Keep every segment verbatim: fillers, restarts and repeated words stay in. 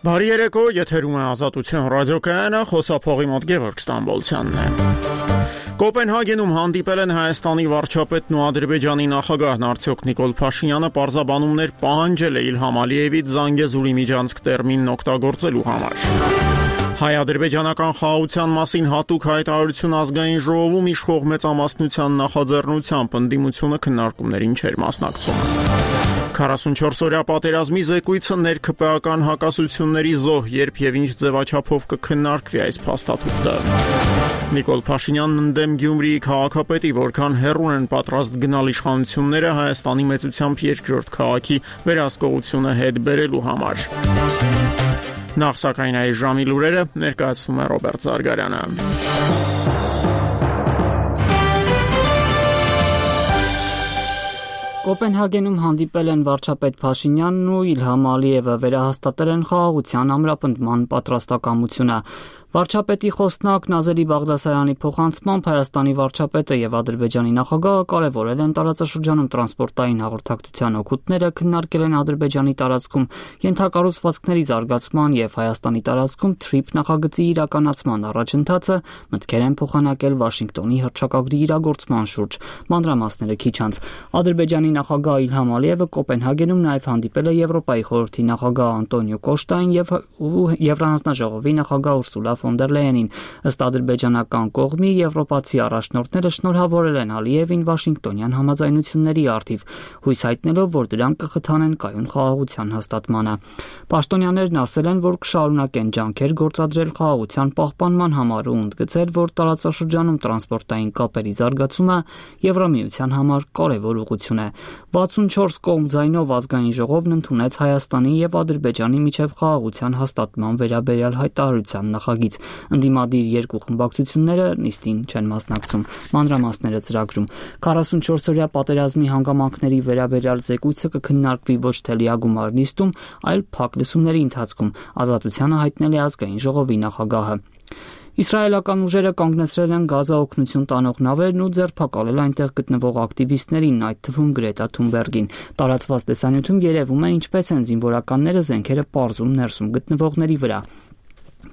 Բարի երեկո, եթերում է Ազատություն ռադիոկայանը, խոսափողի մոտ Գևորգ Ստամբոլցյանն է։ Կոպենհագենում հանդիպել են Հայաստանի վարչապետն ու Ադրբեջանի նախագահն արդյոք Նիկոլ Փաշինյանը պարզաբանումներ պահանջել է Իլհամ Ալիևից Զանգեզուրի միջանցք տերմինն օգտագործելու համար։ Հայ-ադրբեջանական խաղաղության մասին հատուկ հայտարարություն ազգային ժողովում իշխող մեծամասնության նախաձեռնությամբ ընդդիմությունը քննարկումներին չէր մասնակցում։ քառասունչորս-օրյա պատերազմի զեկույցը ներքպեական հակասությունների զոհ, երբ եւ ինչ ձևաչափով կքննարկվի այս փաստաթուղթը։ Նիկոլ Փաշինյանն ընդդեմ Գյումրիի քաղաքապետի, որքան հեռուն են պատրաստ գնալ իշխանությունները Հայաստանի մեծությամբ երկրորդ քաղաքի վերահսկողությունը հետ բերելու համար։ Նախ սակայն այս ժամի լուրերը ներկայացնում է Ռոբերտ Զարգարյանը։ Կոպենհագենում հանդիպել են վարչապետ Փաշինյանն ու Իլհամ Ալիևը, վերահաստատել են խաղաղության ամրապնդման պատրաստակամությունը։ Վարչապետի խոսնակ Նազելի Բաղդասարյանի փոխանցմամբ Հայաստանի վարչապետը եւ Ադրբեջանի նախագահը կարեւորել են տարածաշրջանում տրանսպորտային հաղորդակցության օգուտները, քննարկել են Ադրբեջանի տարածքում ենթակառուցվածքների զարգացման եւ Հայաստանի տարածքում թրիփ նախագծի իրականացման առաջընթացը, մտքեր են փոխանակել Վաշինգտոնի հռչակագրի իրագործման շուրջ։ Մանրամասները քիչ անց Ադրբեջանի նախագահ Իլհամ Ալիևը Կոպենհագենում նաեւ հանդիպել է Եվրոպայի խորհրդի նախագահ Անտոնիո Կոշտային եւ Եվրահանձնաժողովի նախագահ Ուրսուլա ֆոն դեր Լեյենին։ Ըստ ադրբեջանական կողմի եվրոպացի առաջնորդները շնորհավորել են Ալիևին Վաշինգտոնյան համաձայնությունների առթիվ, հույս հայտնելով, որ դրանք կխթանեն կայուն խաղաղության հաստատմանը։ Պաշտոնյաներն ասել են, որ կշարունակեն ջանքեր գործադրել խաղաղության պահպանման համար ու ընդգծել, որ տարածաշրջանում տրանսպորտային կապերի զարգացումը Եվրամիության համար կարևոր ուղղություն է։ վաթսունչորս կողմ ձայնով ազգային ժողովն ընդունեց Հայաստանի եւ Ադրբեջանի միջև խաղաղության հաստատման վերաբերյալ հայտարարության նախագիծ։ Ընդդիմադիր երկու խմբակցությունները նիստին չեն մասնակցում։ Մանրամասները ծրագրում։ քառասունչորս-օրյա պատերազմի հանգամանքների վերաբերյալ զեկույցը կքննարկվի ոչ թե լիագումար նիստում, այլ փակ լսումների ընթացքում, Ազատությանը հայտնել է ազգային ժողովի նախագահը։ Իսրայելական ուժերը կանգնեցրել են Գազա օգնություն տանող նավերն ու ձերբակալել այնտեղ գտնվող ակտիվիստներին, այդ թվում Գրետա Թունբերգին։ Տարածված տեսանյութում երևում է, ինչպես են զինվորականները զենքերը պարզում ներսում գտնվողների վրա։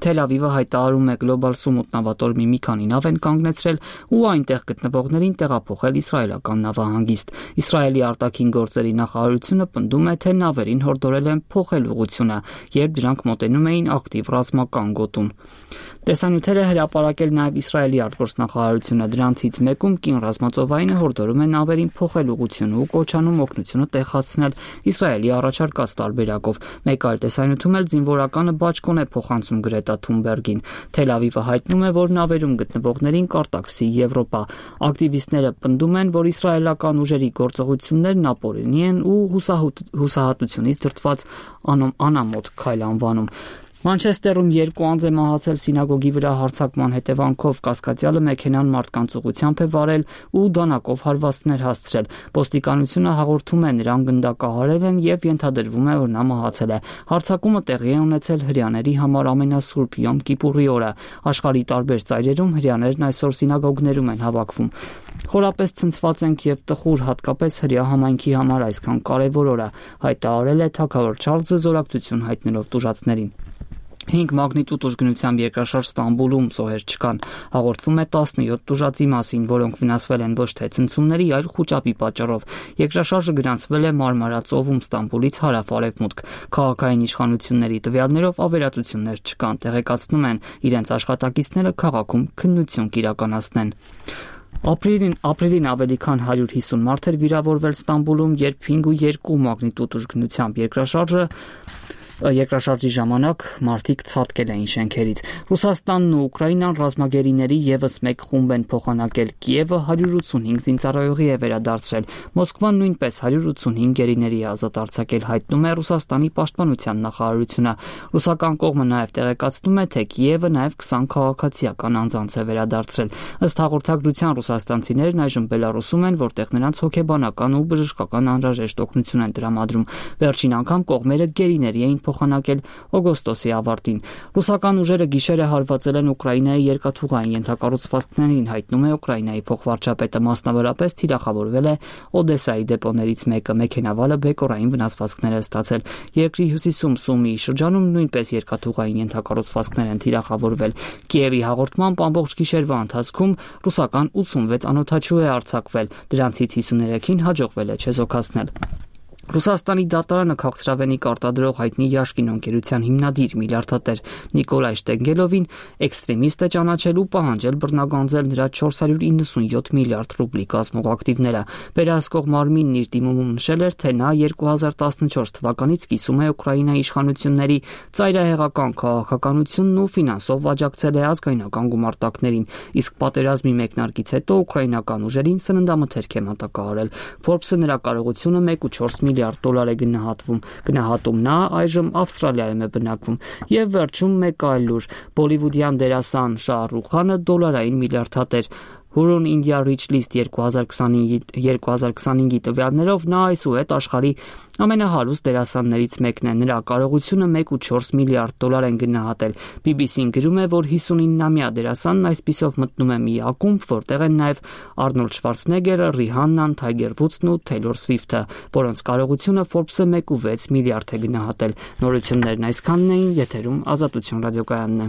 Թել Ավիվը հայտարարում է Global Summit նավատորմի մի քանի նավ են կանգնեցրել ու այնտեղ գտնվողներին տեղափոխել իսրայելական նավահանգիստ։ Իսրայելի արտաքին գործերի նախարարությունը պնդում է, թե նավերին հորդորել են փոխել ուղղությունը, երբ դրանք մոտենում էին ակտիվ ռազմական գոտուն։ Տեսանյութերը հրապարակել նաև Իսրայելի արտգործնախարարությունը, դրանցից մեկում կին ռազմածովայինը հորդորում է նավերին փոխել ուղղությունը ու կոչանում օգնությունը տեղացնել Իսրայելի առաջարկած տարբերակով։ Մեկ այլ տեսանյութում էլ զինվորականը բաճկոն է փոխանցում Գրետա Թունբերգին։ Թել Ավիվը հայտնում է, որ նավերում գտնվողներին կարտաքսի Եվրոպա։ Ակտիվիստները պնդում են, որ իսրայելական ուժերի գործողություններն ապօրինի են ու հուսահատությունից դրդված անամոթ քայլ անվանում։ Մանչեսթերում երկու անձ է մահացել սինագոգի վրա հարձակման հետևանքով, կասկածյալը մեքենան մարդկանց ուղղությամբ է վարել ու դանակով հարվածներ հասցրել։ Ոստիկանությունը հաղորդում է, նրան գնդակահարել են եւ ենթադրվում է, որ նա մահացել է։ Հարձակումը տեղի է ունեցել հրեաների համար ամենասուրբ Յոմ Կիպուրի օրը։ Աշխարհի տարբեր ծայրերում հրեաներն այսօր սինագոգներում են հավաքվում։ Խորապես ցնցված ենք եւ տխուր, հատկապես հրեա համայնքի համար այսքան կարեւոր օրը, հայտարարել է թագավոր Չարլզը զորակցություն հայտնելով տուժածներին։ Հինգ մագնիտուդ ուժգնությամբ երկրաշարժ Ստամբուլում զոհեր չկան։ Հաղորդվում է տասնյոթ տուժածի մասին, որոնք վնասվել են ոչ թե ցնցումների, այլ խուճապի պատճառով։ Երկրաշարժը գրանցվել է Մարմարածովում Ստամբուլից հարավ-արևմուտք։ Քաղաքային իշխանությունների տվյալներով ավերածություններ չկան, տեղեկացնում են, իրենց աշխատակիցները քաղաքում քննություն կիրականացնեն։ Ապրիլին, ապրիլին ավելի քան հարյուր հիսուն մարդ էր վիրավորվել Ստամբուլում, երբ հինգ ու երկու մագնիտուդ ուժգնությամբ երկրաշարժը Երկրաշարժի ժամանակ մարդիկ ցատկել էին շենքերից։ Ռուսաստանն ու Ուկրաինան ռազմագերիների եւս մեկ խումբ են փոխանակել։ Կիևը հարյուր ութսունհինգ զինծառայողի է վերադարձրել։ Մոսկվան նույնպես հարյուր ութսունհինգ գերիների է ազատ արձակել, հայտնում է Ռուսաստանի պաշտպանության նախարարությունը։ Ռուսական կողմը նաեւ տեղեկացնում է, թե Կիևը նաեւ քսան քաղաքացիական անձանց է վերադարձրել։ Ըստ հաղորդագրության ռուսաստանցիներն այժմ Բելարուսում են, որտեղ նրանց հոգեբանական ու բժշկական անհրաժեշտ օգնություն են տրամադրում։ Վերջին անգամ կողմերը գերիների էին փոխանակել օգոստոսի ավարտին։ Ռուսական ուժերը գիշերը հարվածել են Ուկրաինայի երկաթուղային ենթակառուցվածքներին, հայտնում է Ուկրաինայի փոխվարչապետը, մասնավորապես թիրախավորվել է Օդեսայի դեպոներից մեկը, մեքենավարը բեկորային վնասվածքներ է ստացել։ Երկրի հյուսիսում Սումիի շրջանում նույնպես երկաթուղային ենթակառուցվածքներ են թիրախավորվել։ Կիևի հաղորդմամբ ամբողջ գիշերվա ընթացքում ռուսական ութսունվեց անօդաչու է արձակվել, դրանցից հիսուներեքին հաջողվել է չեզոքացնել։ Ռուսաստանի դատարանը քաղցրավենիք արտադրող հայտնի Յաշկին ընկերության հիմնադիր միլիարդատեր Նիկոլայ Շտենգելովին էքստրեմիստ է ճանաչել ու պահանջել բռնագանձել նրա չորս հարյուր իննսունյոթ միլիարդ ռուբլի կազմող ակտիվները։ Վերահսկող մարմինն իր դիմումում նշել էր, թե նա երկու հազար տասնչորս թվականից կիսում է Ուկրաինայի իշխանությունների ծայրահեղական քաղաքականությունն ու ֆինանսով աջակցել է ազգայնական գումարտակներին, իսկ պատերազմի մեկնարկից հետո ուկրաինական ուժերին սննդամթերք է մատակարարել։ Forbes-ը նրա կարողությունը մեկ կόμμα չորս միլիարդ դոլար է գնահատվում։ Գնահատում նա այժմ Ավստրալիայում է բնակվում։ Եվ վերջում մեկ այլ լուր. Բոլիվուդյան դերասան Շահ Ռուխ Խանը դոլարային միլիարդատեր։ Hurun India Rich List երկու հազար քսանհինգի տվյալներով նա այսուհետ աշխարհի ամենահարուստ դերասաններից մեկն է։ Նրա կարողությունը մեկ կόμμα չորս միլիարդ դոլար են գնահատել։ B B C-ն գրում է, որ հիսունիննամյա դերասանն այսպիսով մտնում է մի ակումբ, որտեղ են նաև Արնոլդ Շվարցնեգերը, Ռիհաննան, Թայգեր Վուդսն ու Թեյլոր Սվիֆթը, որոնց կարողությունը Forbes-ը մեկ կόμma վեց միլիարդ է գնահատել։ Նորություններն այսքանն էին, եթերում Ազատություն ռադիոկայանն է։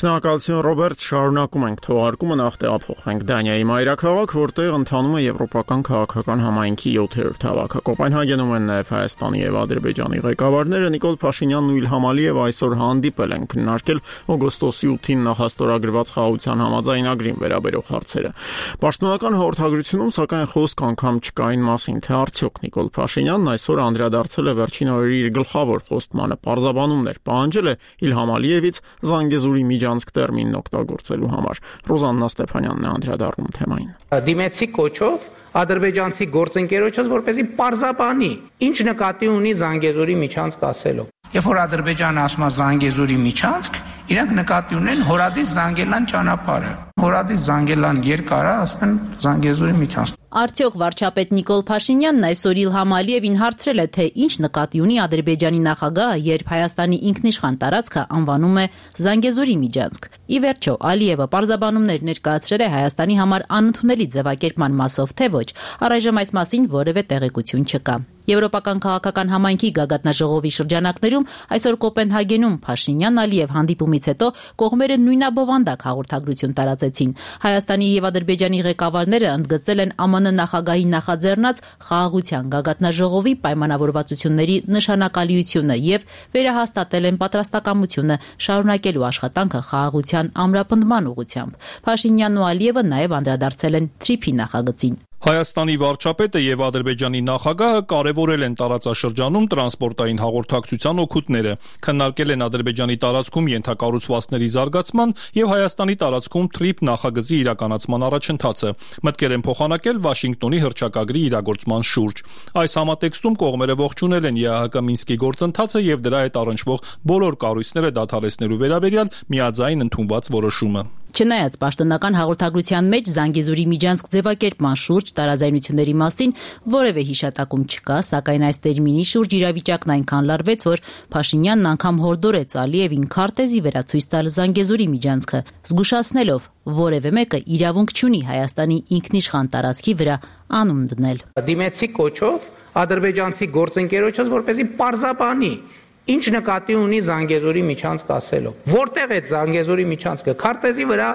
Շնորհակալություն Ռոբերտ, շարունակում ենք թողարկումը, նախ տեղափոխվենք Դանիայի մայրաքաղաք, որտեղ ընթանում է եվրոպական քաղաքական համայնքի յոթերորդ հավաքը։ Կոպենհագենում են նաև Հայաստանի եւ Ադրբեջանի ղեկավարները Նիկոլ Փաշինյանն ու Իլհամ Ալիևը այսօր հանդիպել են քննարկել օգոստոսի ութին նախաստորագրված խաղաղության համաձայնագրին վերաբերող հարցերը։ Պաշտոնական հաղորդագրությունում սակայն խոսք անգամ չկա այն մասին, թե արդյոք Նիկոլ Փաշինյանն այսօր անդրադարձել է վերջին օրերի իր գլխավոր խոստմանը, պարզաբանումներ պահանջել է Իլհամ Ալիևից Զանգեզուրի միջանցք տերմինն օգտագործելու համար։ Ռոզաննա Ստեփանյանն է անդրադառնում թեմային։ Դիմեցի կոչով ադրբեջանցի գործընկերոջս որպեսզի պարզաբանի, ինչ նկատի ունի Զանգեզուրի միջանցք ասելով։ Երբ որ Ադրբեջանը ասում է Զանգեզուրի միջանցք, իրանք նկատի ունեն Հորադիս Զանգելան ճանապարհը։ Հորադիս Զանգելան երկարը, ասում են Զանգեզուրի միջանցք։ Արդյոք վարչապետ Նիկոլ Փաշինյանն այսօր Իլհամ Ալիևին հարցրել է, թե ինչ նկատի ունի Ադրբեջանի նախագահը, երբ Հայաստանի ինքնիշխան տարածքը անվանում է Զանգեզուրի միջանցք։ Ի վերջո, Ալիևը պարզաբանումներ ներկայացրել է Հայաստանի համար անընդունելի ձևակերպման մասով, թե ոչ, առայժմ այս մասին որևէ տեղեկություն չկա։ Եվրոպական քաղաքական համայնքի գագաթնաժողովի շրջանակներում այսօր Կոպենհագենում Փաշինյան-Ալիև հանդիպումից հետո կողմերը նույնաբովանդակ հաղորդագրություն տարածեցին։ Հայաստանի եւ Ադրբեջանի ղեկավարները ընդգծել են ԱՄՆ նախագահի նախաձեռնած խաղաղության գագաթնաժողովի պայմանավորվածությունների նշանակալիությունը եւ վերահաստատել են պատրաստակամությունը շարունակելու աշխատանքը խաղաղության ամրապնդման ուղղությամբ։ Փաշինյանն ու Ալիևը նաեւ անդրադարձել են Թրիփի նախագծին։ Հայաստանի վարչապետը եւ Ադրբեջանի նախագահը կարևորել են տարածաշրջանում տրանսպորտային հաղորդակցության օգուտները, քննարկել են Ադրբեջանի տարածքում ենթակառուցվածքների զարգացման եւ Հայաստանի տարածքում Թրիփ նախագծի իրականացման առաջընթացը, մտքեր են փոխանակել Վաշինգտոնի հռչակագրի իրագործման շուրջ։ Այս համատեքստում կողմերը ողջունել են ԵԱՀԿ Մինսկի գործընթացը եւ դրա հետ առնչվող բոլոր կառույցները դադարեցնելու վերաբերյալ միաձայն ընդունված որոշումը։ Չնայած պաշտոնական հաղորդագրության մեջ Զանգեզուրի միջանցք ձևակերպման շուրջ տարաձայնությունների մասին որևէ հիշատակում չկա, սակայն այս տերմինի շուրջ իրավիճակն այնքան լարվեց, որ Փաշինյանն անգամ հորդորեց Ալիևին քարտեզի վերացույց տալ Զանգեզուրի միջանցքը, զգուշացնելով, որևէ մեկը իրավունք չունի Հայաստանի ինքնիշխան տարածքի վրա անուն դնել։ Դիմեցի կոչով ադրբեջանցի գործընկերոջս որպեսզի պարզաբանի, ինչ նկատի ունի Զանգեզուրի միջանցք ասելով։ Որտեղ է Զանգեզուրի միջանցքը։ Քարտեզի վրա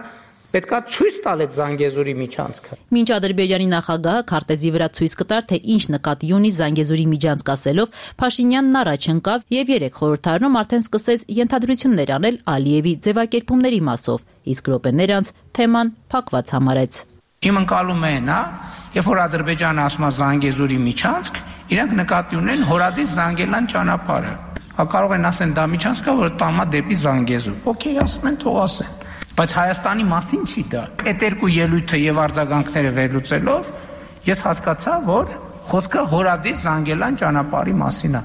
պետքա ցույց տալ այդ Զանգեզուրի միջանցքը։ Մինչ Ադրբեջանի նախագահը քարտեզի վրա ցույց կտար, թե ինչ նկատի ունի Զանգեզուրի միջանցք ասելով, Փաշինյանն առաջ ընկավ եւ երեք խորհրդարանում արդեն սկսեց ենթադրություններ անել Ալիևի ձևակերպումների մասով, իսկ րոպեներ անց թեման փակված համարեց։ Իմ ընկալումը է նա, երբ որ Ադրբեջանը ասում է Զանգեզուրի միջանցք, իրանք նկատի ունեն Հորադիս Զանգելան ճանապարհը։ Կարող են ասեն դա միջանցք է, որ տամա դեպի Զանգեզուր։ Okay, ասում են, թող ասեն։ Բայց Հայաստանի մասին չի դա։ Այդ երկու ելույթը եւ արձագանքները վերլուծելով ես հասկացա, որ խոսքը Հորադիս Զանգելան ճանապարհի մասին է։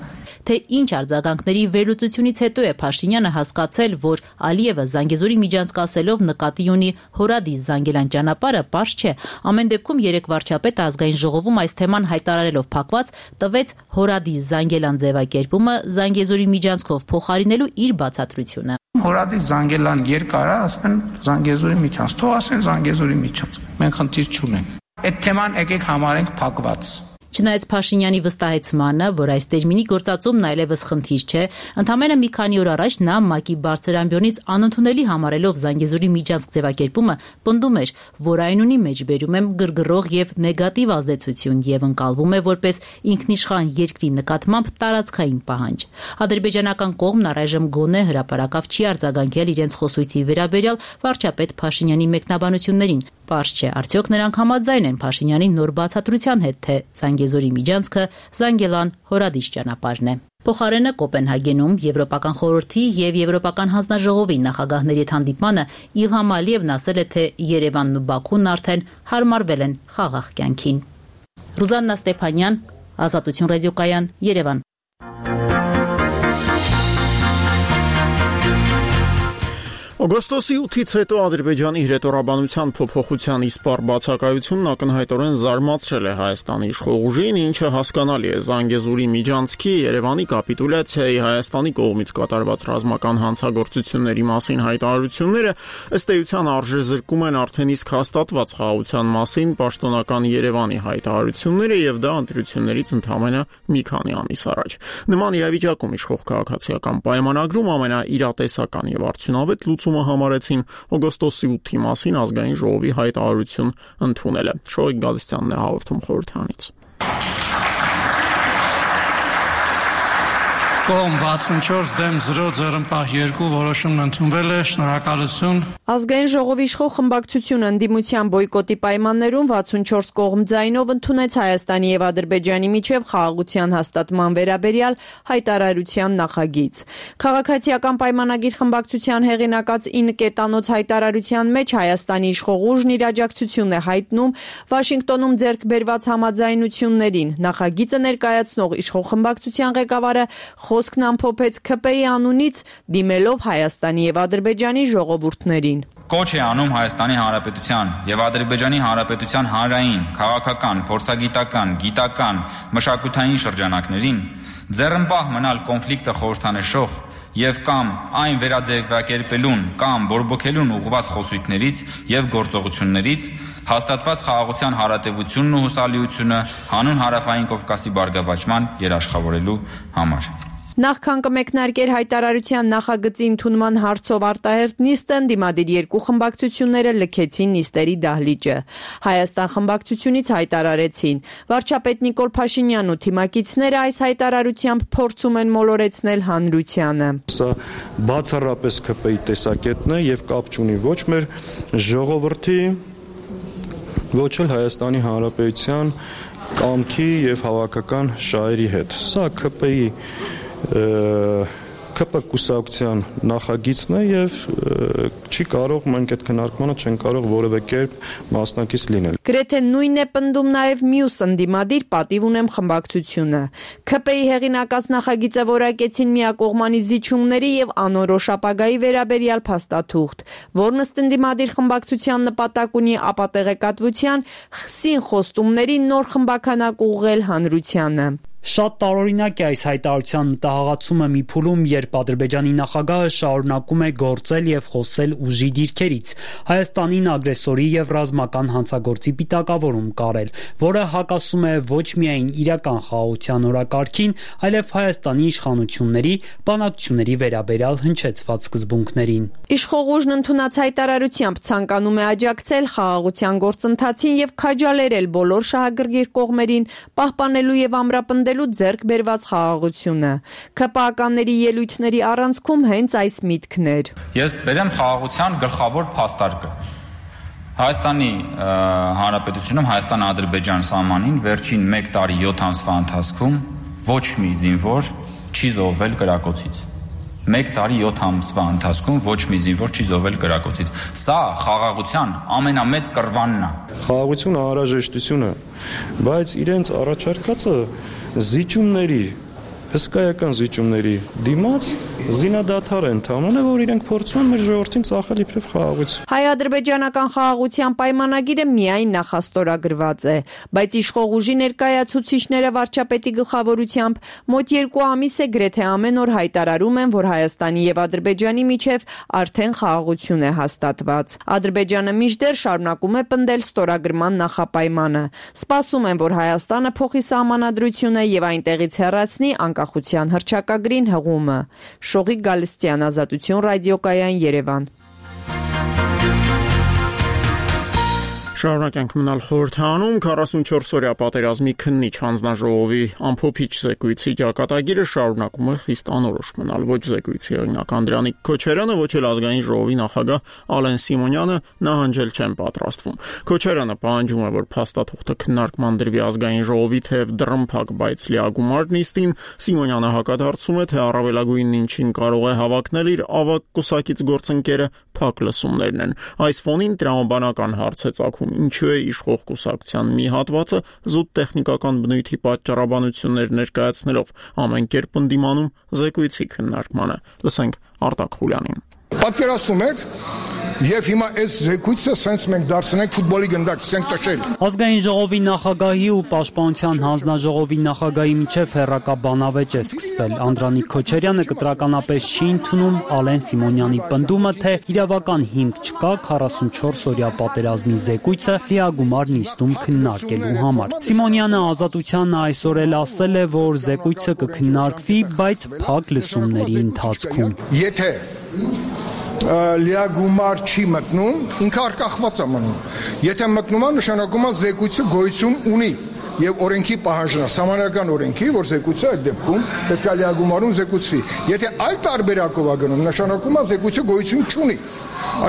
թե ինչ արձագանքների վերլուծությունից հետո է Փաշինյանը հասկացել, որ Ալիևը Զանգեզուրի միջանցքասելով նկատի ունի Հորադիս Զանգելան ճանապարհը, պարզ չէ։ Ամեն դեպքում երեք վարչապետը ազգային ժողովում այս թեման հայտարարելով փակված տվեց Հորադիս Զանգելան ձևակերպումը Զանգեզուրի միջանցքով փոխարինելու իր բացատրությունը։ Հորադիս Զանգելան երկարը, ասում են Զանգեզուրի միջանցք, թող ասեն Զանգեզուրի միջանցք։ Մենք խնդիր չունենք։ Այդ թեման եկեք համարենք փակված։ Չնայած Փաշինյանի վստահեցմանը, որ այս տերմինի գործածումն այլևս խնդիր չէ, ընդամենը մի քանի օր առաջ նա ՄԱԿ-ի բարձր ամբիոնից անընդունելի համարելով Զանգեզուրի միջանցք ձևակերպումը, պնդում էր, որ այն ունի մեջբերում եմ գրգռող եւ նեգատիվ ազդեցություն եւ ընկալվում է որպես ինքնիշխան երկրի նկատմամբ տարածքային պահանջ։ Ադրբեջանական կողմն առայժմ գոնե հրապարակավ չի արձագանքել իրենց խոսույթի վերաբերյալ վարչապետ Փաշինյանի մեկնաբանություններին։ Պարզ չէ, արդյոք նրանք համաձայն են Փաշինյանի նոր բացատրության հետ, թե Զանգեզուրի միջանցքը Զանգելան-Հորադիս ճանապարհն է։ Փոխարենը Կոպենհագենում Եվրոպական խորհրդի եւ Եվրոպական հանձնաժողովի նախագահների հանդիպմանը Իլհամ Ալիևն ասել է, թե Երևանն ու Բաքուն արդեն հարմարվել են խաղաղ կյանքին։ Ռուզաննա Ստեփանյան, Ազատություն ռադիոկայան, Երևան։ Օգոստոսի ութից հետո Ադրբեջանի հրետորաբանության փոփոխության իսպառ բացակայությունն ակնհայտորեն զարմացրել է Հայաստանի իշխող ուժին, ինչը հասկանալի է Զանգեզուրի միջանցքի Երևանի կապիտուլյացիայի Հայաստանի կողմից կատարված ռազմական հանցագործությունների մասին հայտարարությունները ըստ էության արժեզրկում են արդեն իսկ հաստատված խաղաղության մասին պաշտոնական Երևանի հայտարարությունները եւ դա ընտրություններից ընդամենը մի քանի ամիս առաջ։ Նման իրավիճակում իշխող քաղաքացիական պայմանագրում ամենաիրատեսական եւ արդյունավետ լուծումը համարեցին օգոստոսի ութի մասին ազգային ժողովի հայտարարություն ընդունելը։ Շոյիկ Գալստյանն է հաղորդում խորհրդանից։ Կողմ վաթսունչորս դեմ զրո ձեռնպահ երկու որոշումն ընդունվել է, շնորհակալություն։ Ազգային ժողովի իշխող խմբակցությունը ընդդիմության բոյկոտի պայմաններում վաթսունչորս կողմ ձայնով ընդունեց Հայաստանի եւ Ադրբեջանի միջև խաղաղության հաստատման վերաբերյալ հայտարարության նախագիծ։ Քաղաքացիական պայմանագիր խմբակցության հեղինակած ինը կետանոց հայտարարության մեջ Հայաստանի իշխող ուժն իր աջակցությունն է հայտնում Վաշինգտոնում ձեռք բերված համաձայնություններին։ Նախագիծը ներկայացնող իշխող խմբակցության ղեկավարը խոսքն ամփոփեց ՔՊ-ի անունից դիմելով Հայաստանի եւ Ադրբեջանի ժողովուրդներին։ Կոչ է անում Հայաստանի Հանրապետության եւ Ադրբեջանի Հանրապետության հանրային, քաղաքական, փորձագիտական, գիտական, մշակութային շրջանակներին ձեռնպահ մնալ կոնֆլիկտը խորհրդանշող եւ կամ այն վերաձևակերպելուն կամ բորբոքելուն ուղղված խոսույթներից եւ գործողություններից հաստատված խաղաղության հարատեվությունն ու հուսալիությունը հանուն հարավային Կովկասի բարգավաճման երաշխավորելու համար։ Նախքան կմեկնարկեր հայտարարության նախագծի ընդունման հարցով արտահերթ նիստը, ընդդիմադիր երկու խմբակցությունները լքեցին նիստերի դահլիճը։ Հայաստան խմբակցությունից հայտարարեցին. վարչապետ Նիկոլ Փաշինյանն ու թիմակիցները այս հայտարարությամբ փորձում են մոլորեցնել հանրությանը։ Սա բացառապես ՔՊ-ի տեսակետն է եւ կապ չունի ոչ մեր ժողովրդի, ոչ էլ Հայաստանի Հանրապետության կամքի եւ հավաքական շահերի հետ։ Սա ՔՊ-ի ՔՊ կուսակցության նախագիծն է եւ չի կարող մենք այդ քննարկմանը չեն կարող որևէ կերպ մասնակից լինել։ Գրեթե նույնն է պնդում նաեւ մյուս ընդդիմադիր պատիվ ունեմ խմբակցությունը։ ՔՊ-ի հեղինակած նախագիծը որակեցին միակողմանի զիջումների եւ անորոշ ապագայի վերաբերյալ փաստաթուղթ, որն ըստ ընդդիմադիր խմբակցության նպատակ ունի ապատեղեկատվության խսին խոստումների նոր խմբականակ ուղղել հանրությանը։ Շատ տարօրինակ է այս հայտարարության մտահղացումը մի փուլում, երբ Ադրբեջանի նախագահը շարունակում է գործել եւ խոսել ուժի դիրքերից, Հայաստանին ագրեսորի եւ ռազմական հանցագործի պիտակավորում կարել, որը հակասում է ոչ միայն իրական խաղաղության օրակարգին, այլև Հայաստանի իշխանությունների բանակցությունների վերաբերյալ հնչեցված սկզբունքներին։ Իշխող ուժն ընդունած հայտարարությամբ ցանկանում է աջակցել խաղաղության գործընթացին եւ քաջալերել բոլոր շահագրգիռ կողմերին պահպանելու եւ ամրապնդելու ձեռք բերված խաղաղությունը։ ՔՊ-ականների ելույթների առանցքում հենց այս միտքն էր։ Ես բերեմ խաղաղության գլխավոր փաստարկը։ Հայաստանի Հանրապետությունում Հայաստան-Ադրբեջան սահմանին վերջին մեկ տարի յոթ ամսվա ընթացքում ոչ մի զինվոր չի զոհվել կրակոցից։ Մեկ տարի յոթ ամսվա ընթացքում ոչ մի զինվոր չի զոհվել կրակոցից։ Սա խաղաղության ամենամեծ կռվանն է։ Խաղաղությունը անհրաժեշտություն է, բայց իրենց առաջարկածը զիջումների հսկայական զիջումների դիմաց զինադադար են ընդհանրել, որ իրենք փորձում են մեր ժողովրդին ծախել իբրև խաղաղություն։ Հայ-ադրբեջանական խաղաղության պայմանագիրը միայն նախաստորագրված է, բայց իշխող ուժի ներկայացուցիչները վարչապետի գլխավորությամբ մոտ երկու ամիս է գրեթե ամեն օր հայտարարում են, որ Հայաստանի եւ Ադրբեջանի միջև արդեն խաղաղություն է հաստատված։ Ադրբեջանը մինչդեռ շարունակում է պնդել ստորագրման նախապայմանը։ Սպասում են, որ Հայաստանը փոխի սահմանադրությունը եւ այնտեղից հեռացնի անկախության հռչակագրին հղումը։ Շողիկ Գալստյան, Ազատություն ռադիոկայան, Երևան։ Շարունակենք մնալ խորհրդանում քառասունչորս-օրյա պատերազմի քննիչ հանձնաժողովի ամփոփիչ զեկույցի ճակատագիրը շարունակում է խիստ անորոշ մնալ։ Ոչ զեկույցի օրինակ Անդրանիկ Քոչարյանը, ոչ էլ ազգային ժողովի նախագահ Ալեն Սիմոնյանը նահանջել չեն պատրաստվում։ Քոչարյանը պահանջում է, որ փաստաթուղթը քննարկման դրվի ազգային ժողովի թեև դռնփակ, բայց լիագումար նիստին։ Սիմոնյանը հակադարձում է, թե առավելագույնն ինչին կարող է հավակնել իր ավագ կուսակից գործընկերը փակ լսումներն են։ Այս ֆոնին տրամաբանական հարց է ծագում. ինչու է իշխող կուսակցության մի հատվածը զուտ տեխնիկական բնույթի պատճառաբանություններ ներկայացնելով ամեն կերպ ընդդիմանում զեկույցի քննարկմանը։ Լսենք Արտակ Խուլյանին։ Պատկերացնում եք, եւ հիմա այս զեկույցը սենց մենք դարձնենք ֆուտբոլի գնդակ, ցենք տաշել։ Ազգային ժողովի նախագահի ու պաշտպանության հանձնաժողովի նախագահի միջև հերրակա բանավեճ է սկսվել։ Անդրանիկ Քոչարյանը կտրականապես չի ընդունում Ալեն Սիմոնյանի պնդումը, թե իրավական հիմք չկա քառասունչորս-օրյա պատերազմի զեկույցը լիագումար նիստում քննարկելու համար։ Սիմոնյանը Ազատությանը այսօր էլ ասել է, որ զեկույցը կքննարկվի, բայց փակ լսումների ընթացքում։ Եթե լիագումար չի մտնում, ինքը արկախված է մնում։ Եթե մտնում է, նշանակում է զեկույցը գոյություն ունի եւ օրենքի պահանջն է, սահմանական օրենքի, որ զեկույցը այդ դեպքում պետք է լիագումարում զեկուցվի։ Եթե այլ տարբերակով է գնում, նշանակում է զեկույցը գոյություն չունի։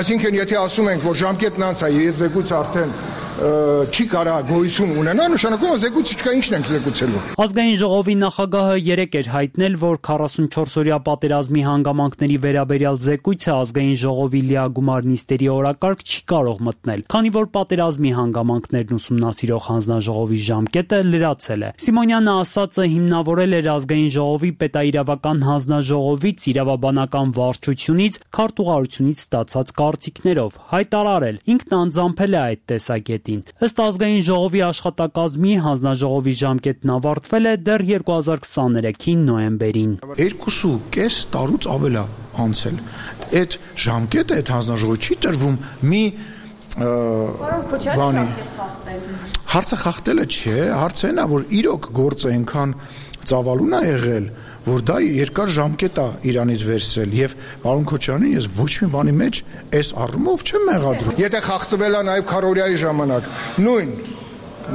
Այսինքն, եթե ասում ենք, որ ժամկետն անց է եւ զեկույցը արդեն չի կարա գոյություն ունենա, նշանակում է զեկույցը չկա, ինչն ենք զեկուցելու։ Ազգային ժողովի նախագահը երեկ էր հայտնել, որ քառասունչորս-օրյա պատերազմի հանգամանքների վերաբերյալ զեկույցը ազգային ժողովի լիագումար նիստերի օրակարգ չի կարող մտնել, քանի որ պատերազմի հանգամանքներն ուսումնասիրող հանձնաժողովի ժամկետը լրացել է։ Սիմոնյանը ասածը հիմնավորել էր ազգային ժողովի պետաիրավական հանձնաժողովից, իրավաբանական վարչությունից, քարտուղարությունից ստացած կարծիքներով, հայտարարել, ինքն անձամփել է այդ տեսակետին։ Ըստ ազգային ժողովի աշխատակազմի հանձնաժողովի ժամկետն ավարտվել է դեռ երկու հազար քսաներեքի նոյեմբերին։ Երկուսու կես տարուց ավել է անցել։ Այդ ժամկետը այդ հանձնաժողովի չի տրվում մի բանի։ Հարցը խախտելը չէ, հարցը այն է, որ իրոք գործը այնքան ծավալուն է եղել, որ դա երկար ժամկետ է իրանից վերցրել եւ պարոն Քոչարյանին ես ոչ մի բանի մեջ այս առումով չեմ մեղադրում։ Եթե խախտվել է նաեւ քարորիայի ժամանակ, նույն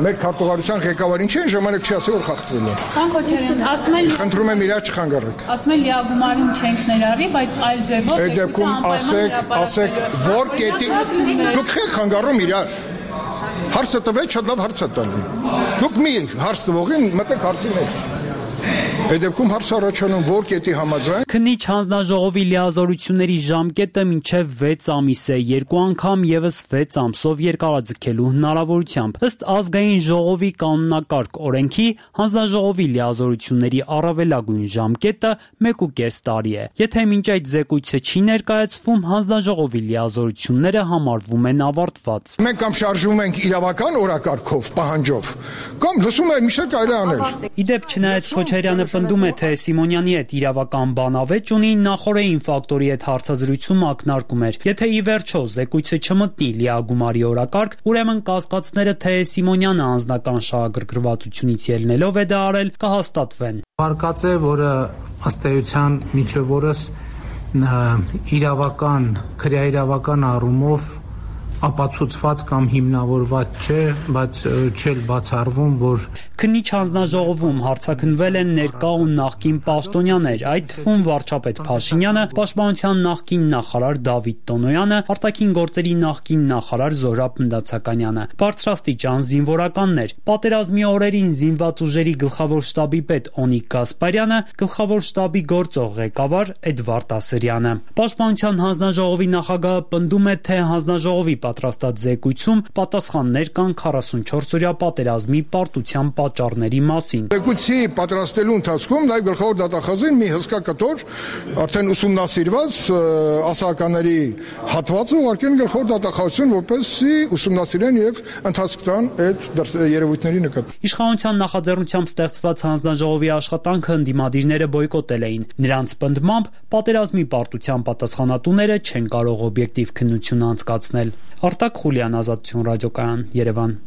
մեր քարտուղարության ղեկավարին չէ, ժամանակ չի ասել, որ խախտվել է։ Պարոն Քոչարյան, ասում են խնդրում եմ իրար չխանգարեք։ Ասում են լիագումարում չենք ներառի, բայց այլ ձևով այդ դեպքում ասեք, ասեք, որ կետի դուք եք խանգարում իրար։ Հարցը տվեք, շատ լավ հարց է տալի։ Դուք մի հարց տվողին մտեք հարցի մեջ։ Այդ դեպքում հարց առաջանում, որ կետի համաձայն։ Քննիչ հանձնաժողովի լիազորությունների ժամկետը մինչև վեց ամիս է, երկու անգամ եւս վեց ամսով երկարաձգելու հնարավորությամբ։ Ըստ ազգային ժողովի կանոնակարգ օրենքի, հանձնաժողովի լիազորությունների առավելագույն ժամկետը մեկ ու կես տարի է։ Եթե մինչ այդ զեկույցը չի ներկայացվում, հանձնաժողովի լիազորությունները համարվում են ավարտված։ Մենք կամ շարժվում ենք իրավական օրակարգով, պահանջով, կամ լսում ենք մի շարք այլ անել։ Իդեպ չնայած Քոչարյանը պնդում է, թե Սիմոնյանի հետ իրավական բանավեճ ունի, նախորդային ֆակտորի հետ հարցազրույցում ակնարկում էր։ Եթե ի վերջո զեկույցը չմտնի լիագումարի օրակարգ, ուրեմն կասկածները, թե Սիմոնյանը անձնական շահագրգռվածությունից ելնելով է դա արել, կհաստատվեն։ Վարկած է, որը ըստ էության մինչև օրս իրավական, քրեաիրավական առումով ապացուցված կամ հիմնավորված չէ, բայց չել բացառվում, որ քննիչ հանձնաժողովում հարցաքննվել են ներկա ու նախկին պաշտոնյաներ, այդ թվում վարչապետ Փաշինյանը, պաշտպանության նախկին նախարար Դավիթ Տոնոյանը, արտաքին գործերի նախկին նախարար Զոհրաբ Մնդացականյանը, բարձրաստիճան զինվորականներ, պատերազմի օրերին զինված ուժերի գլխավոր շտաբի պետ Օնիկ Գասպարյանը, գլխավոր շտաբի գործող ղեկավար Էդվարդ Ասրյանը։ Պաշտպանության հանձնաժողովի նախագահը պնդում է, թե հանձնաժողովի պատրաստած զեկույցում պատասխաններ կան քառասունչորս-օրյա պատերազմի պարտության պատճառների մասին։ Զեկույցի պատրաստելու ընթացքում նաև գլխավոր դատախազին մի հսկա կտոր արդեն ուսումնասիրված ասահականների հատվածը ուղարկել գլխավոր դատախազին, որպեսզի ուսումնասիրեն եւ ընթացք տան այդ երևույթների նկատմամբ։ Իշխանության նախաձեռնությամբ ստեղծված հանձնաժողովի աշխատանքը ընդդիմադիրները բոյկոտել էին։ Նրանց պնդմամբ պատերազմի պարտության պատասխանատուները չեն կարող օբյեկտիվ քննություն անցկացնել։ Արտակ Խուլյան, Ազատություն ռադիոկայան, Երևան։